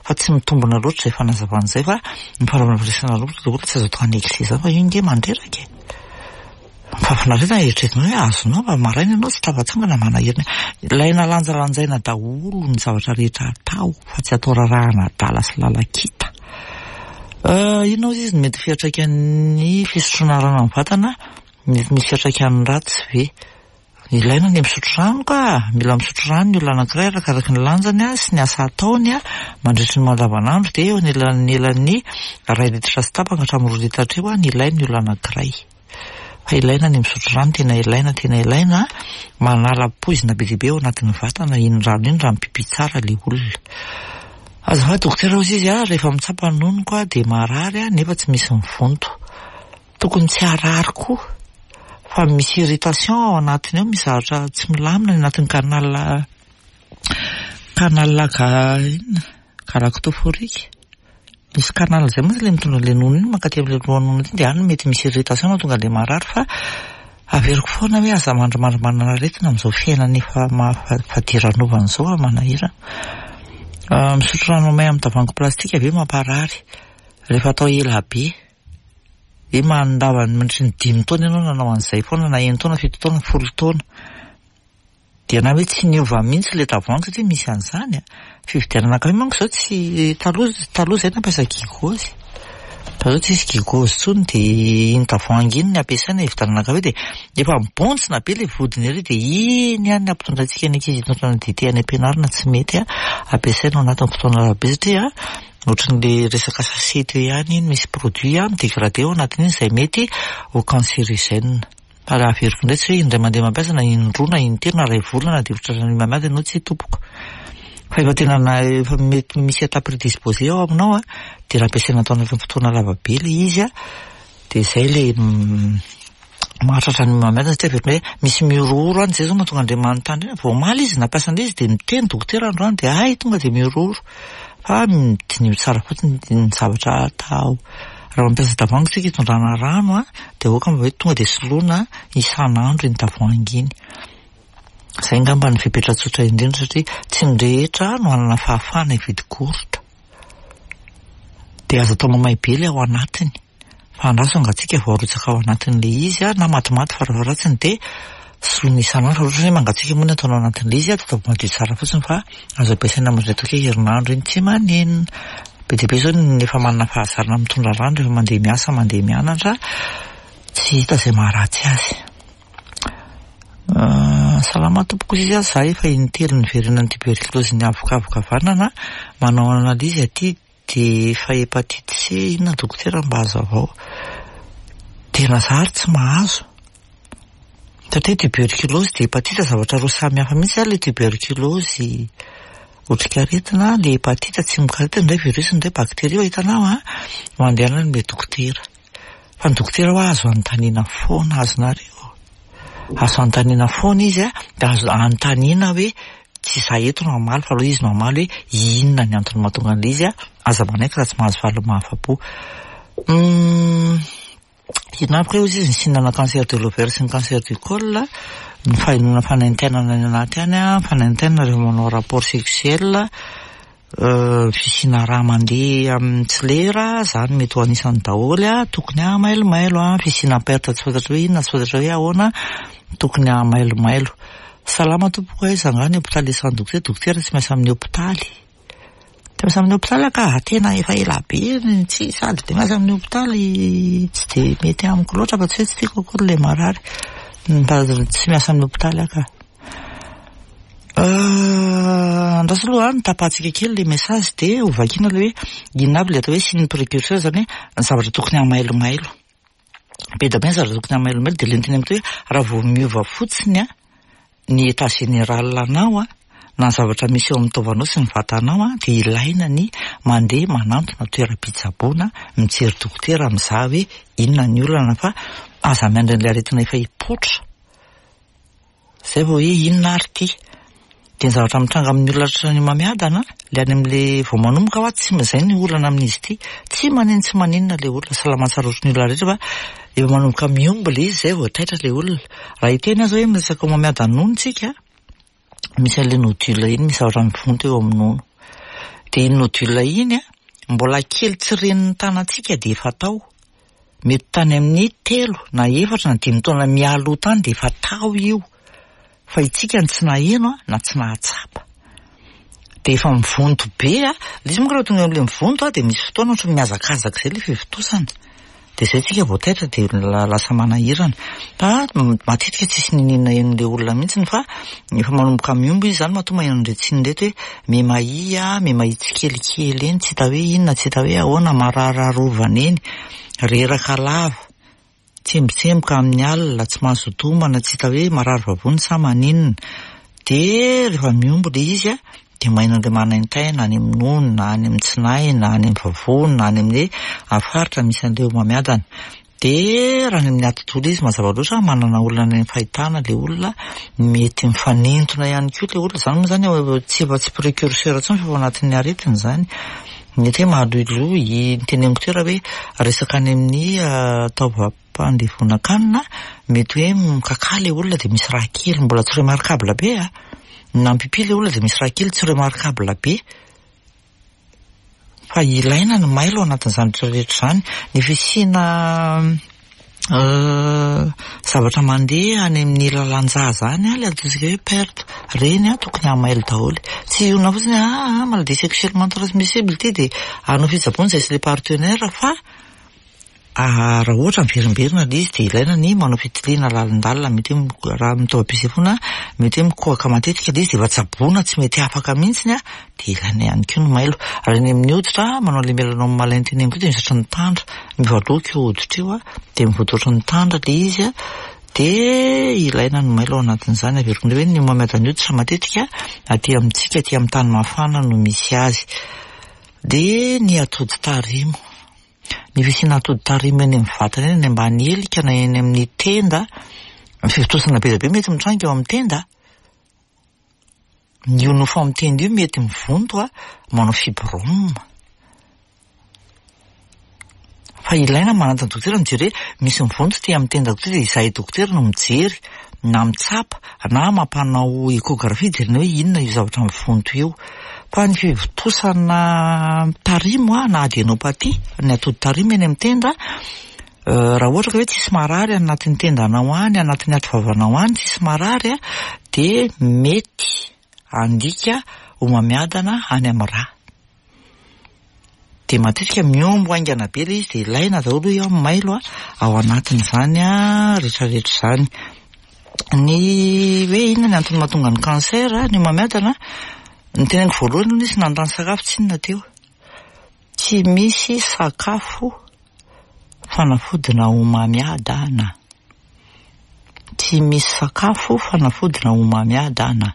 Fa tsy mitombina loatra izay fanazavana izay fa ny fanaovana firaisana ara-nofo daholo tsy azo atao annexe izany fa io nge mandreraka e. Ny fahafinaretana eritreretinao hoe azonao fa maraina ianao tsy tafatsangana manahirana. Ilaina lanjalanjaina daholo ny zavatra rehetra atao fa tsy atao rarahana adala sy lalakita. Inona hozy izy no mety fiantraikan'ny fisotroana rano amin'ny vatana? Mety misy fiantraikany ratsy ve? Ilaina ny misotro rano ka! Mila misotro rano ny olona anankiray arakaraky ny lanjany sy ny asa ataony mandritry ny mandavanandro dia eo anelanelan'ny iray litatra sy tapany ka hatramin'ny roa litatra eo ny ilain'ny olona anankiray. Fa ilaina ny misotro rano, tena ilaina, tena ilaina, manala poizina be dia be ao anatin'ny vatana iny rano iny raha mipipi tsara ilay olona. Azafady dokotera hozy izy rehefa mitsapa ny nonoko aho dia marary nefa tsy misy mivonto. Tokony tsy harary koa fa misy irritation ao anatiny ao, misy zavatra tsy milamina any anatin'ny canal canal ga inona galactophorique. Misy canal izay mantsy ilay mitondra an'ilay nono iny mankaty amin'ilay lohanono iny dia any mety misy irritation mahatonga an'ilay marary fa averiko foana hoe aza mandrimandry manana aretina amin'izao fiainana efa mahafadiranovana izao fa manahirana. Misotro rano may amin'ny tavoahangy plastika ve mamparary rehefa atao ela be? Dia mandava mandritry ny dimy taona ianao nanao an'izay foana na enin-taona, fito taona, folo taona. Dia na hoe tsy niova mihitsy ilay tavoahangy satria misy an'izany a. Fividianana kafe manko izao tsy taloha taloha izay nampiasa gigôzy. Fa izao tsisy gigôzy intsony dia iny tavoahangy iny no ampiasaina hividianana kafe dia efa mibontsina be ilay vodiny ery dia iny ihany no ampitondraintsika ny ankizy hitondrana dite any am-pianarana tsy mety a. Ampiasaina ao anatin'ny fotoana lava be satria Ohatran'le resaka sachet teo ihany iny misy produit mi-dégrader ao anatin'iny izay mety ho cancérigène. Fa raha averiko indray tsy hoe indray mandeha mampiasa na indroa na intelo na iray volana dia ohatran'ny mihamady ianao tsia tompoko. Fa efa tena na efa mety misy état prédisposé ao aminao dia raha ampiasaina atao anatin'ny fotoana lava be ilay izy dia izay ilay mahatratra ny homamiadana satria avy hoe misy mihorohoro any, izay izao mahatonga an'ireny manontany ireny, vao omaly izy nampiasa an'ilay izy dia niteny dokotera androany dia hay tonga dia mihorohoro fa diniho tsara fotsiny ny zavatra atao. Raha mampiasa tavoahangy isika hitondrana rano an, dia aoka mba hoe tonga dia soloina isan'andro iny tavoahangy iny. Izay angamba ny fepetra tsotra indrindra satria tsy ny rehetra no hanana fahafahana hividy gourde. Dia aza atao mamay be ilay ao anatiny. Fa andraso hangatsiaka vao arotsaka ao anatin'ilay izy na matimaty farafaharatsiny dia soloina isan'andro. Raha ohatra hoe mangatsiaka moa ny ataonao anatin'ilay izy dia ataovy madio tsara fotsiny fa azo ampiasaina mandritra toky herinandro iny tsy manenina. Be dia be izao ny efa manana fahazarana mitondra rano rehefa mandeha miasa, mandeha mianatra, tsy hita izay maharatsy azy. Salama tompoko izy za efa intelo niverenan'ny tuberculose ny avokavoka havanana, manao analyse aty Dia efa hepatite C inona dokotera mba hazavao. Tena za ary tsy mahazo. Satria tuberculose dia hepatite zavatra roa samy hafa mihitsy ary ilay tuberculose otrikaretina, ilay hepatite tsimokaretina indray virus indray bacterie fa hitanao an, mandehana any amin'ilay dokotera. Fa ny dokotera hoa azo anontaniana foana azonareo. Azo anontaniana foana izy an, dia azo anontaniana hoe tsy izaho eto no hamaly fa aleo izy no hamaly hoe inona ny antony mahatonga an'ilay izy an, aza manaiky raha tsy mahazo valiny mahafa-po. Hum, inona aby kay hozy izy ny signe-na cancer de l'ovaire sy ny cancer du col, ny fahenoana fanaintainana any anaty any an, fanaintainana rehefa manao rapport sexuel, Fisiana rà mandeha amin'ny tsy lera, izany mety ho anisany daholo, tokony hahamailomailo, fisiana perte tsy fantatra hoe inona, tsy fantatra hoe ahoana, tokony hahamailomailo. Salama tompoko, aiza angaha ny hopitaly isan'ny dokotera, dokotera tsy miasa amin'ny hopitaly. Tsy miasa amin'ny hopitaly aho ka, tena efa ela be tsy sady dia miasa amin'ny hopitaly tsy dia mety amiko loatra fa tsy hoe tsy tiako akory ilay marary. Tsy miasa amin'ny hopitaly aho ka. Andraso aloha an, tapahantsika kely ilay message dia ho vakiana ilay hoe inona avy ilay atao hoe signe précurseur izany hoe ny zavatra tokony hamailomailo. Be dia be ny zavatra tokony hamailomailo dia ilay niteneniko teo hoe raha vao miova fotsiny an ny état général anao an, na ny zavatra misy eo amin'ny taovanao sy ny vatanao an, dia ilaina ny mandeha manantona toeram-pitsaboana, mijery dokotera mizaha hoe inona ny olana fa aza miandry an'ilay aretina efa hipoitra. Zay vao hoe inona ary ity? Dia ny zavatra mitranga amin'ny olona tratran'ny homamiadana, ilay any amin'ilay vao manomboka hoa tsy izay ny olana amin'izy ity. Tsy manino tsy maninona ilay olona, salama tsara ohatry ny olona rehetra fa efa manomboka mihombo ilay izy izay vao taitra ilay olona. Raha hiteny aza hoe miresaka homamiadan'ny nono tsika, misy an'ilay nodule iny, misy zavatra mivonto eo amin'ny nono. Dia iny nodule iny an, mbola kely tsy ren'ny tanantsika dia efa tao. Mety tany amin'ny telo na efatra na dimy taona mialoha tany dia efa tao io. Fa itsika no tsy naheno na tsy nahatsapa. Dia efa mivonto be a. Ilay izy manko rehefa tonga eo amin'ilay mivonto dia misy fotoana ohatran'ny mihazakazaka izay ilay fivontosana. Dia izay tsika vao taitra dia lasa manahirana. Fa matetika tsisy niniana henon'ilay olona mihitsy fa efa manomboka mihombo izy izany matoa maheno an'ireto tsiny ireto hoe mihemahia, mihemahia tsikelikely eny, tsy hita hoe inona, tsy hita hoe ahoana, marararovana eny, reraka lava, tsembotsemboka amin'ny alina, tsy mazoto homana, tsy hita hoe marary vavony sa maninona. Dia rehefa mihombo ilay izy an, dia maheno an'ilay manaintaina any amin'ny nono na any amin'ny tsinay na any amin'ny vavony na any amin'ny faritra misy an'ilay homamiadana. Dia raha any amin'ny atidoha ilay izy mazava loatra manana olana any amin'ny fahitana ilay olona, mety mifanintona ihany koa ilay olona, izany moa izany tsy efa tsy précurseur intsony fa efa ao anatin'ny aretina izany. Mety hoe mahaloiloy, ny teneniko teo raha hoe resaka any amin'ny taovam-pandevonan-kanina, mety hoe mikakà ilay olona dia misy raha kely mbola tsy remarquable be a, na mipipi ilay olona dia misy raha kely tsy remarquable be. Fa ilaina ny mailo ao anatin'izany rehetra rehetra izany. Ny fisiana zavatra mandeha any amin'ny lalan-jaza any, ilay antsointsika hoe perte, ireny tokony hamailo daholo. Tsy hionona fotsiny hoe ah maladie sexuellement transmissible ity dia hanao fitsaboana izay sy ilay partenaire fa Raha ohatra miverimberina ilay izy dia ilaina ny manao fitiliana lalindalina, mety hoe raha amin'ny taovam-pisefoana mety hoe mikohaka matetika ilay izy dia efa tsaboina tsy mety afaka mihitsy dia ilaina ihany koa ny mailo. Raha eny amin'ny hoditra, manao ilay melanome malin teneniko io dia misy ohatran'ny tandra, miova loko io hoditra io dia mivoady ohatran'ny tandra ilay izy dia ilaina ny mailo ao anatin'izany. Averiko indray hoe ny homamiadan'ny hoditra matetika aty amintsika aty amin'ny tany mafana no misy azy. Dia ny atody tarimo. Ny fisiana atody tarimo eny amin'ny vatana eny, any ambany helika na eny amin'ny tenda, ny fivontosana be dia be mety mitranga eo amin'ny tenda. Io nofo amin'ny tenda io mety mivonto a, manao fibrome. Fa ilaina manantona dokotera mijery hoe misy mivonto ity amin'ny tendako ity dia izahay dokotera no mijery na mitsapa na mampanao échographie jerena hoe inona io zavatra mivonto io. Fa ny fivontosana tarimo na adénopathie, ny atody tarimo eny amin'ny tenda, raha ohatra ka hoe tsisy marary any anatin'ny tendanao any, anatin'ny ati-vavanao any, tsisy marary dia mety handika homamiadana any amin'ny rà. Dia matetika mihombo haingana be ilay izy dia ilaina daholo hoy aho ny mailo ao anatin'izany rehetrarehetra izany. Ny hoe inona ny antony mahatonga ny cancer, ny homamiadana, ny teneniko voalohany aloha nisy nanontany sakafo tsinona teo. Tsy misy sakafo fanafodina homamiadana. Tsy misy sakafo fanafodina homamiadana.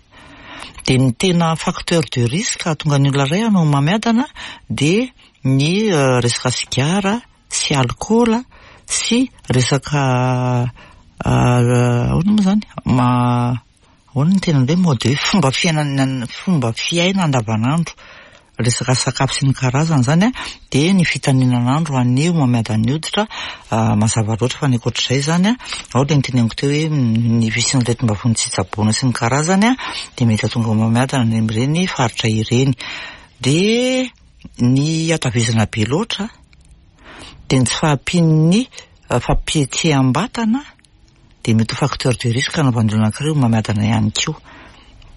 Dia ny tena facteur de risque hahatonga ny olona iray hanao homamiadana dia ny resaka sigara sy alikaola sy resaka ahoana moa izany? Ahoana ny tena hoe mode hoe fomba fiainana fomba fiaina andavanandro, resaka sakafo sy ny karazany izany an, dia ny fitaninan'andro an'ny homamiadan'ny hoditra, mazava loatra fa ny ankoatr'izay izany an, ao ilay noteneniko teo hoe ny fisian'ny aretim-bavony tsy tsaboina sy ny karazany an, dia mety hahatonga homamiadana any amin'ireny faritra ireny. Dia ny hatavezana be loatra, dia ny tsy fahampian'ny fampihetseham-batana, dia mety ho facteur de risque hanaovan'ny olona anankiray homamiadana ihany koa.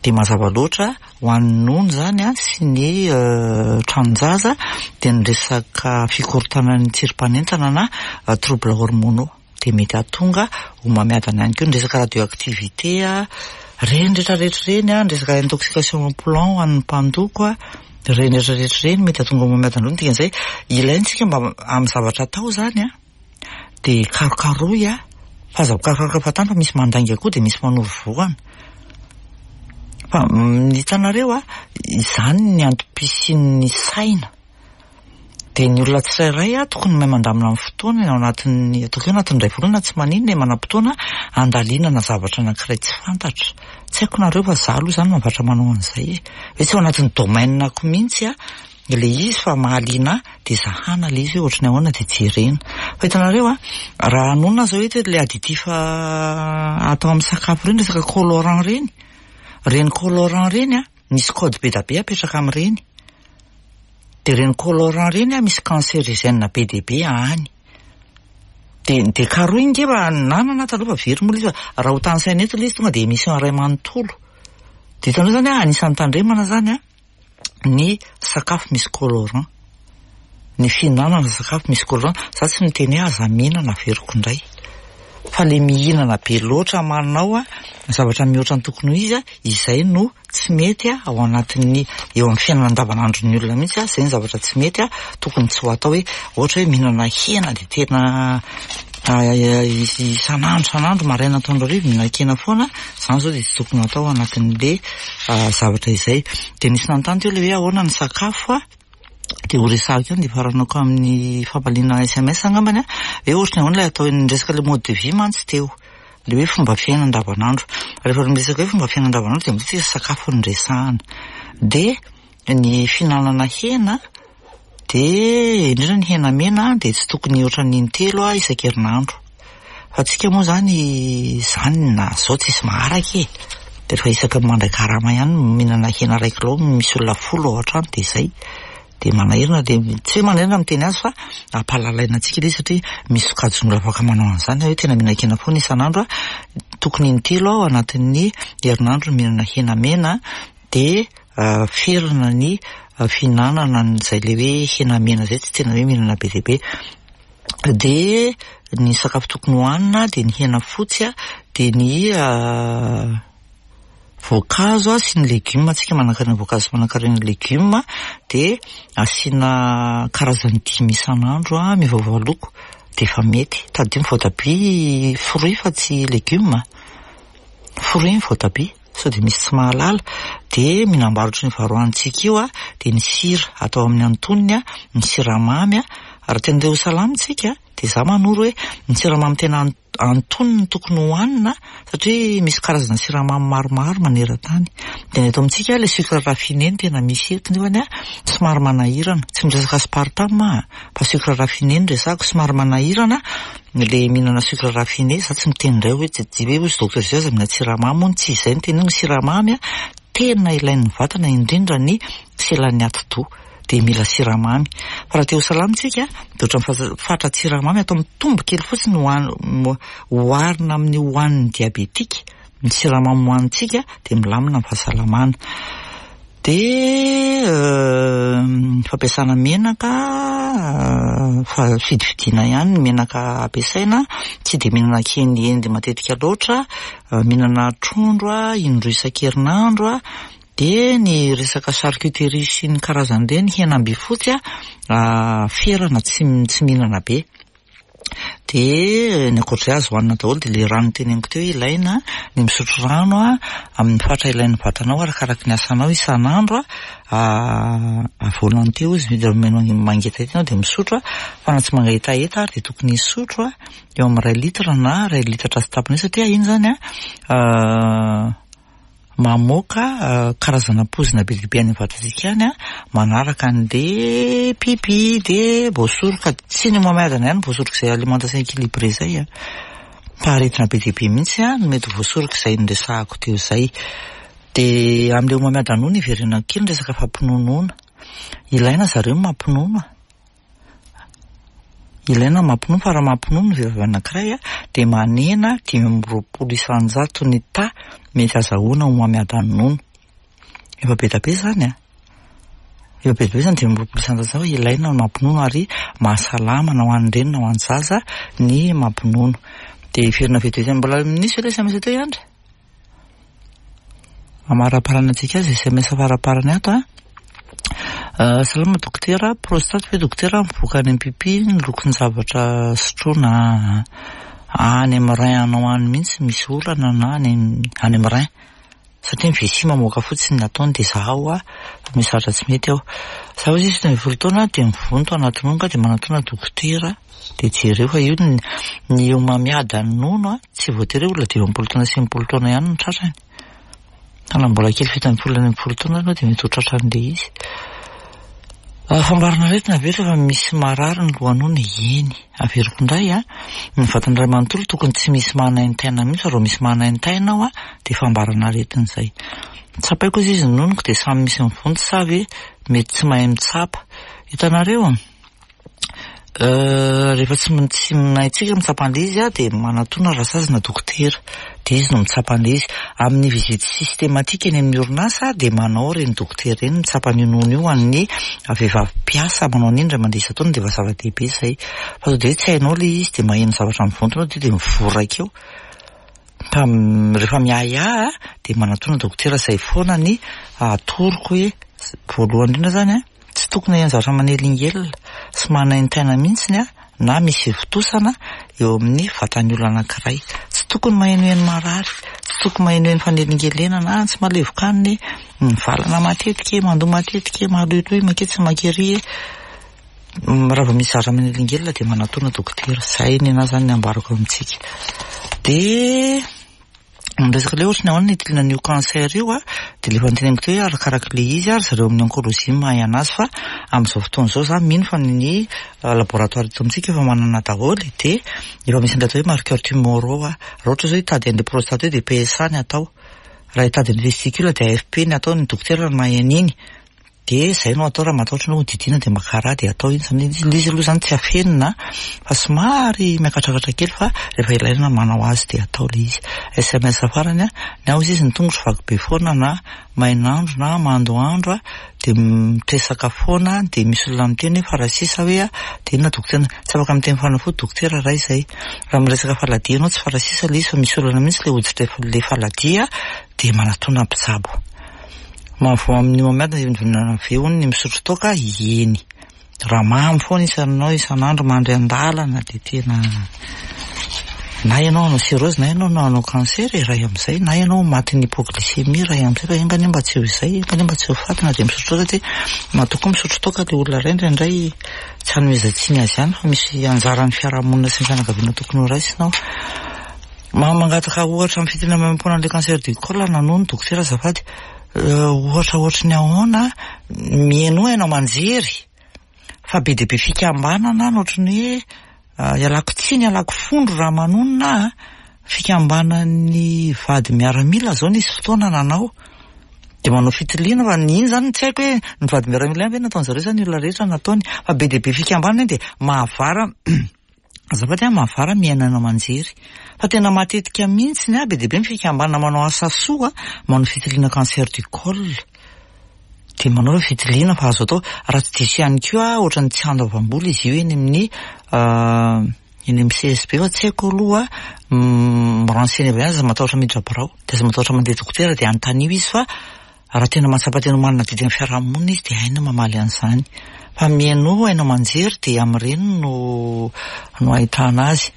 Dia mazava loatra ho an'ny nono izany sy ny tranon-jaza dia ny resaka fikorontanan'ny tsirim-panentana na troubles hormonaux dia mety hahatonga homamiadana ihany koa. Ny resaka radioactivité, ireny rehetra rehetra ireny, ny resaka intoxication en plomb ho an'ny mpandoko, ireny rehetra rehetra ireny mety hahatonga homamiadana. Ny dikan'izay ilaintsika mba amin'ny zavatra atao izany an. Dia karokarohy a! Fa aza mikarokaroka fahatany fa misy mandainga koa dia misy manoro vohana. Fa ny hitanareo a, izany ny antom-pisian'ny saina. Dia ny olona tsirairay a, tokony mahay mandamina ny fotoanany ao anatin'ny, ataoko hoe anatin'ny iray volana tsy maninona e, manam-potoana handalinana zavatra anankiray tsy fantatra. Tsy haiko nareo fa za aloha izany mahavatra manao an'izay e. Hoe tsy ao anatin'ny domaine-ko mihitsy a, ilay izy fa mahaliana ahy dia zahana ilay izy hoe ohatran'ny ahoana dia jerena. Fa hitanareo a, raha hanonona aho izao eto hoe ilay additif atao amin'ny sakafo ireny, resaka colorant ireny, ireny colorant ireny a, Misy code be da be apetraka amin'ireny. Dia ireny colorant ireny an, misy cancérigène be dia be any. Dia dia karohina nge fa nanana aho taloha fa very moa ilay izy fa raha ho tanisaina eto ilay izy tonga dia émission iray manontolo. Dia hitanao izany an, anisan'ny tandremana izany an, ny sakafo misy colorant. Ny fihinanana sakafo misy colorant, za tsy miteny hoe aza mihinana averiko indray. Fa le mihinana be loatra manao zavatra mihoatra ny tokony ho izy, izay no tsy mety ao anatin'ny eo amin'ny fiainana andavanandron'ny olona mihitsy, izay ny zavatra tsy mety tokony tsy ho atao hoe ohatra hoe mihinana hena dia tena isan'andro isan'andro maraina atoandro hariva mihinan-kena foana, izany izao dia tsy tokony ho atao ao anatin'le zavatra izay. Dia nisy nanontany teo le hoe ahoana ny sakafo. Dia ho resahako ihany dia faranako amin'ny famaliana sms angambany an, hoe ohatry ny ahoana ilay atao ny resaka ilay mode de vie mantsy teo, ilay hoe fomba fiaina andavanandro. Rehefa miresaka hoe fomba fiaina andavanandro dia matetika sakafo no resahana. Dia ny fihinanana hena dia indrindra ny hena mena dia tsy tokony hihoatra ny intelo isan-kerinandro. Fa tsika moa zany zany na zao tsisy maharaka e! De rehefa isaky ny mandray karama ihany no mihinana hena iray kilao misy olona folo ao an-trano de zay. De manahirana de tsy hoe manahirana miteny azy fa ampahalalaina antsika ilay izy satria misy sokajin'olona afaka manao an'izany hoe tena mihinan-kena foana isan'andro aho. Tokony intelo aho anatin'ny herinandro no mihinana hena mena de ferana ny fihinanana an'izay le hoe hena mena izay tsy tena hoe mihinana be dia be. Dia ny sakafo tokony hohanina dia ny hena fotsy dia ny voankazo sy ny legioma, antsika manankarena voankazo sy manankarena legioma dia asiana karazany dimy isan'andro miovaova loko dia efa mety. Tadidio ny voatabia fruit fa tsy legioma, fruit ny voatabia. Sao dia misy tsy mahalala, dia mihinam-bary ohatran'io vary hohanintsika io dia ny sira atao amin'ny antonony, ny siramamy, raha tena te ho salama isika dia za manoro hoe ny siramamy tena antonony no tokony hohanina satria misy karazana siramamy maromaro maneran-tany. Dia ny eto amintsika ilay sucre raffiné no tena misy eto nefany somary manahirana, tsy miresaka aspartame aho fa sucre raffiné no resahako, somary manahirana Le mihinana sucre raffiné, za tsy miteny indray hoe tsy hoe ozy docteur zay aza mihinana siramamy hono, tsy izay no teneniko, ny siramamy tena ilain'ny vatana indrindra ny selan'ny atidoha dia mila siramamy, fa raha te ho salama tsika dia ohatran'ny fatran-tsiramamy atao mitombo kely fotsiny oharina amin'ny hohanin'ny diabetika. Ny siramamy hohanintsika dia milamina ny fahasalamana. Dia ny fampiasana menaka, fa fidifidiana ihany ny menaka ampiasaina, tsy dia mihinana kiendiendy matetika loatra, mihinana trondro indroa isan-kerinandro, dia ny resaka charcuterie sy ny karazany ireny, hena am-bifotsy ferana tsy tsy mihinana be. Dia ny ankoatr'izay azo hohanina daholo dia ilay rano noteneniko teo hoe ilaina ny misotro rano amin'ny fatra ilain'ny vatanao arakaraky ny asanao isan'andro à volonté hozy izy mangetaheta ianao dia misotro fa na tsy mangetaheta ary dia tokony hisotro eo amin'ny iray litre na iray litatra sy tapany eo satria iny izany an mamoaka karazana poizina be dia be any amin'ny vatantsika any manaraka an'le pipi dia voasoroka, tsy ny homamiadana ihany no voasoroka izay alimentation équilibrée izay an, fa aretina be dia be mihitsy no mety ho voasoroka izay noresahako teo izay. Dia amin'ilay homamiadana no niverenako kely ny resaka fampinonoana, ilaina zareo ny mampinono a. Ilaina ny mampinono fa raha mampinono ny vehivavy anankiray dia manena 25% ny taha mety azahoana homamiadan'ny nono. Efa be dia be izany an! Efa be dia be izany 25% izany fa ilaina ny mampinono ary mahasalama na ho an'ny reny na ho an'ny zaza ny mampinono. Dia hiverina vetivety mbola nisy ve ilay sms teo i Andry? Amaraparanantsika azy sms faraparany ato a. Ah, salama dokotera, prostate ve dokotera mivoaka any amin'ny pipi ny lokon'ny zavatra sotroina any amin'ny rein anao any mihitsy misy olana na any any amin'ny rein. Satria ny vessie mamoaka fotsiny ny ataony dia zahao a, fa misy zavatra tsy mety ao. Za hozy izy 17 taona dia mivonto anaty nono ka dia manatona dokotera dia jereo fa io ny ny homamiadan'ny nono a, tsy voatery hoe olona 50 taona sy 60 taona ihany no tratrany. Fa na mbola kely 17 na 16 taona aloha dia mety ho tratran'ilay izy. Fambarana aretina ve rehefa misy marary ny lohanono? Eny. Averiko indray a, ny vatana iray manontolo tokony tsy misy manaintaina mihitsy fa raha misy manaintaina ao a dia fambarana aretina izay. Tsapaiko ozy izy ny nonoko dia samy misy mivonto sa ve mety tsy mahay mitsapa. Hitanareo? Rehefa tsy tsy haintsika mitsapa an'ilay izy dia manatona rasazy na dokotera dia izy no mitsapa an'ilay izy. Amin'ny visite systématique eny amin'ny orinasa dia manao ireny dokotera ireny mitsapa an'io nono io ho an'ny vehivavy mpiasa manao an'iny indray mandeha isan-taona dia efa zava-dehibe izay. Fa sao dia hoe tsy hainao ilay izy dia maheno zavatra mivonto ianao dia mivoraka eo. Fa rehefa miahiahy dia manatona dokotera izay foana ny atoroko hoe voalohany indrindra izany an. Tsy tokony haheno zavatra manelingelina sy manaintaina mihitsy na misy fivontosana eo amin'ny vatan'ny olona anankiray. Tsy tokony mahenoheno marary, tsy tokony mahenoheno fanelingelenana, ah tsy mahalevoka-hanina e, mivalana matetika e, mandoa matetika e, maloiloy manketsy mankery e. Raha vao misy zavatra manelingelina dia manatona dokotera. Izay ny anahy izany ny ambarako amintsika. Dia... Ny resaka ilay ohatry ny ahoana ny hitiliana an'io cancer io a, dia ilay efa noteneniko teo hoe arakaraka ilay izy ary zareo amin'ny oncologie no mahay anazy fa amin'izao fotoana izao za mino fa ny laboratoire eto amintsika efa manana daholo dia efa misy an'ilay atao hoe marqueur tumoraux a, raha ohatra izao hitady an'ilay prostate io dia PSA ny atao, raha hitady ny vesicule dia AFP ny atao, ny dokotera no mahay an'iny. Dia izay no atao raha matahotra ianao hodidiana dia maka rà dia atao iny izany ilay izy aloha izany tsy afenina fa somary miakatrakatra kely fa rehefa ilaina manao azy dia atao ilay izy. SMS farany a, ny ahy hozy izy ny tongotro vaky be foana na main'andro na mando andro a, dia mitresaka foana dia misy olona miteny hoe farasisa hoe a, dia inona dokotera, tsy afaka miteny fanafody dokotera raha izay. Raha miresaka faladia ianao tsy farasisa ilay izy fa misy olana mihitsy ilay hoditra ilay faladia dia manatona mpitsabo. Mahavoa amin'ny homamiadana eo anivon'ny ve hono ny misotro toaka? Eny. Raha mamo foana isanao isan'andro mandry an-dalana dia tena na ianao hanao cirrhose na ianao hanao cancer e, iray amin'izay, na ianao matin'ny hypoglycémie iray amin'izay fa enga anie mba tsy ho izay, enga anie mba tsy ho faty na dia misotro toaka satria matoa koa misotro toaka ilay olona iray indraindray tsy hanomezan-tsiny azy ihany fa misy anjaran'ny fiarahamonina sy ny fianakaviana tokony ho raisina ao. Mangataka ohatra amin'ny fitiliana maimaimpoana an'ilay cancer du col nanoa ny dokotera azafady. Ohatra ohatry ny ahoana mihainoa haino aman-jery fa be dia be fikambanana any ohatry ny hoe ialako tsiny ialako fondro raha manonona aho fikambanan'ny vady miaramila zao nisy fotoana nanao dia manao fitiliana fa ny iny zany tsy haiko hoe ny vady miaramila ihany ve nataon-jareo sa ny olona rehetra nataony fa be dia be fikambanana iny dia mahavara Azafady an, mahavara mihaino haino aman-jery. Fa tena matetika mihitsy an, be dia be ny fikambanana manao asa soa, manao fitiliana cancer du col. Dia manao ireo fitiliana fa azo atao. Raha tsy diso ihany koa ohatran'ny tsy handoavam-bola izy io eny amin'ny eny amin'ny CSB fa tsy haiko aloha, mi-renseigner ihany, aza matahotra miditra birao, dia aza matahotra mandeha dokotera dia anontanio izy fa Raha tena mahatsapa tena ho manana adidy amin'ny fiarahamonina izy dia hainy ny mamaly an'izany. Fa mihainoa haino aman-jery dia amin'ireny no no ahitana azy.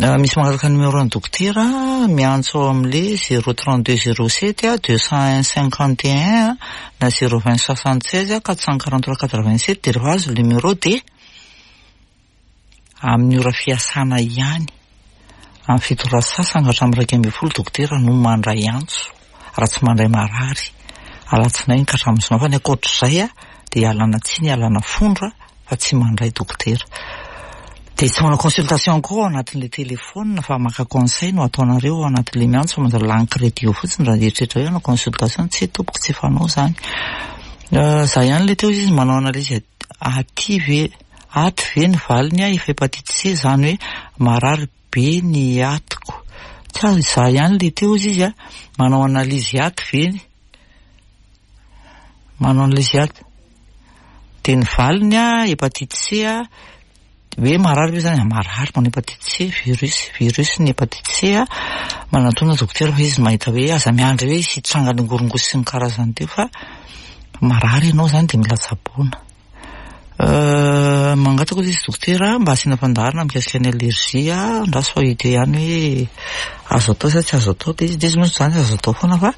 Misy mangataka numéro an'ny dokotera, miantso ao amin'ilay zéro 32 07 201 51 na zéro 20 76 443 87 dia rehefa azo ny numéro dia Amin'ny ora fiasana ihany, amin'ny 7 ora sasany ka hatramin'ny 11 dokotera no mandray antso, raha tsy mandray marary, alatsinainy ka hatramin'ny zoma, fa ny ankoatr'izay dia ialana tsiny, ialana fondro fa tsy mandray dokotera. Dia tsy manao consultation koa ao anatin'ilay téléphone fa maka conseil no ataonareo ao anatin'ilay miantso fa manjary lany crédit eo fotsiny raha hieritreritra hoe hanao consultation, tsia tompoko tsy fanao izany. Za ihany ilay teo izy manao analyse aty ve Aty ve ny valiny a efa hepatite C zany hoe marary be ny atiko. Tsy azo izaho ihany le teo ozy izy a, manao analyse aty ve manao analyse aty de ny valiny a hepatite C a hoe marary ve zany marary manao hepatite C virus virus ny hepatite C a manatona dokotera fa izy mahita hoe aza miandry hoe hisy hitranga ny ngorongosy sy ny karazany teo fa marary ianao zany de mila tsaboina. Mangataka hozy izy dokotera mba asiana fandaharana mikasika ny allergie, andraso fa hita eo ihany hoe azo atao sa tsy azo atao ilay izy, ilay izy moa izany azo atao foana fa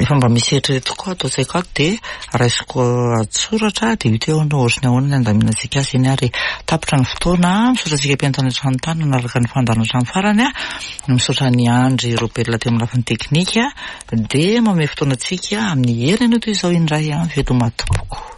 efa mba misy eritreretiko koa ato an-tsaiko ato dia raisiko an-tsoratra dia hita eo hoe ohatry ny ahoana ny handaminantsika azy eny ary tapitra ny fotoana, misaotra antsika mpihaino tany an-trano tany nanaraka ny fandaharana hatramin'ny farany, misaotra an'i Andry Robert teo amin'ny lafiny teknika dia manome fotoana antsika amin'ny heriny anio toy izao indray an, veloma tompoko.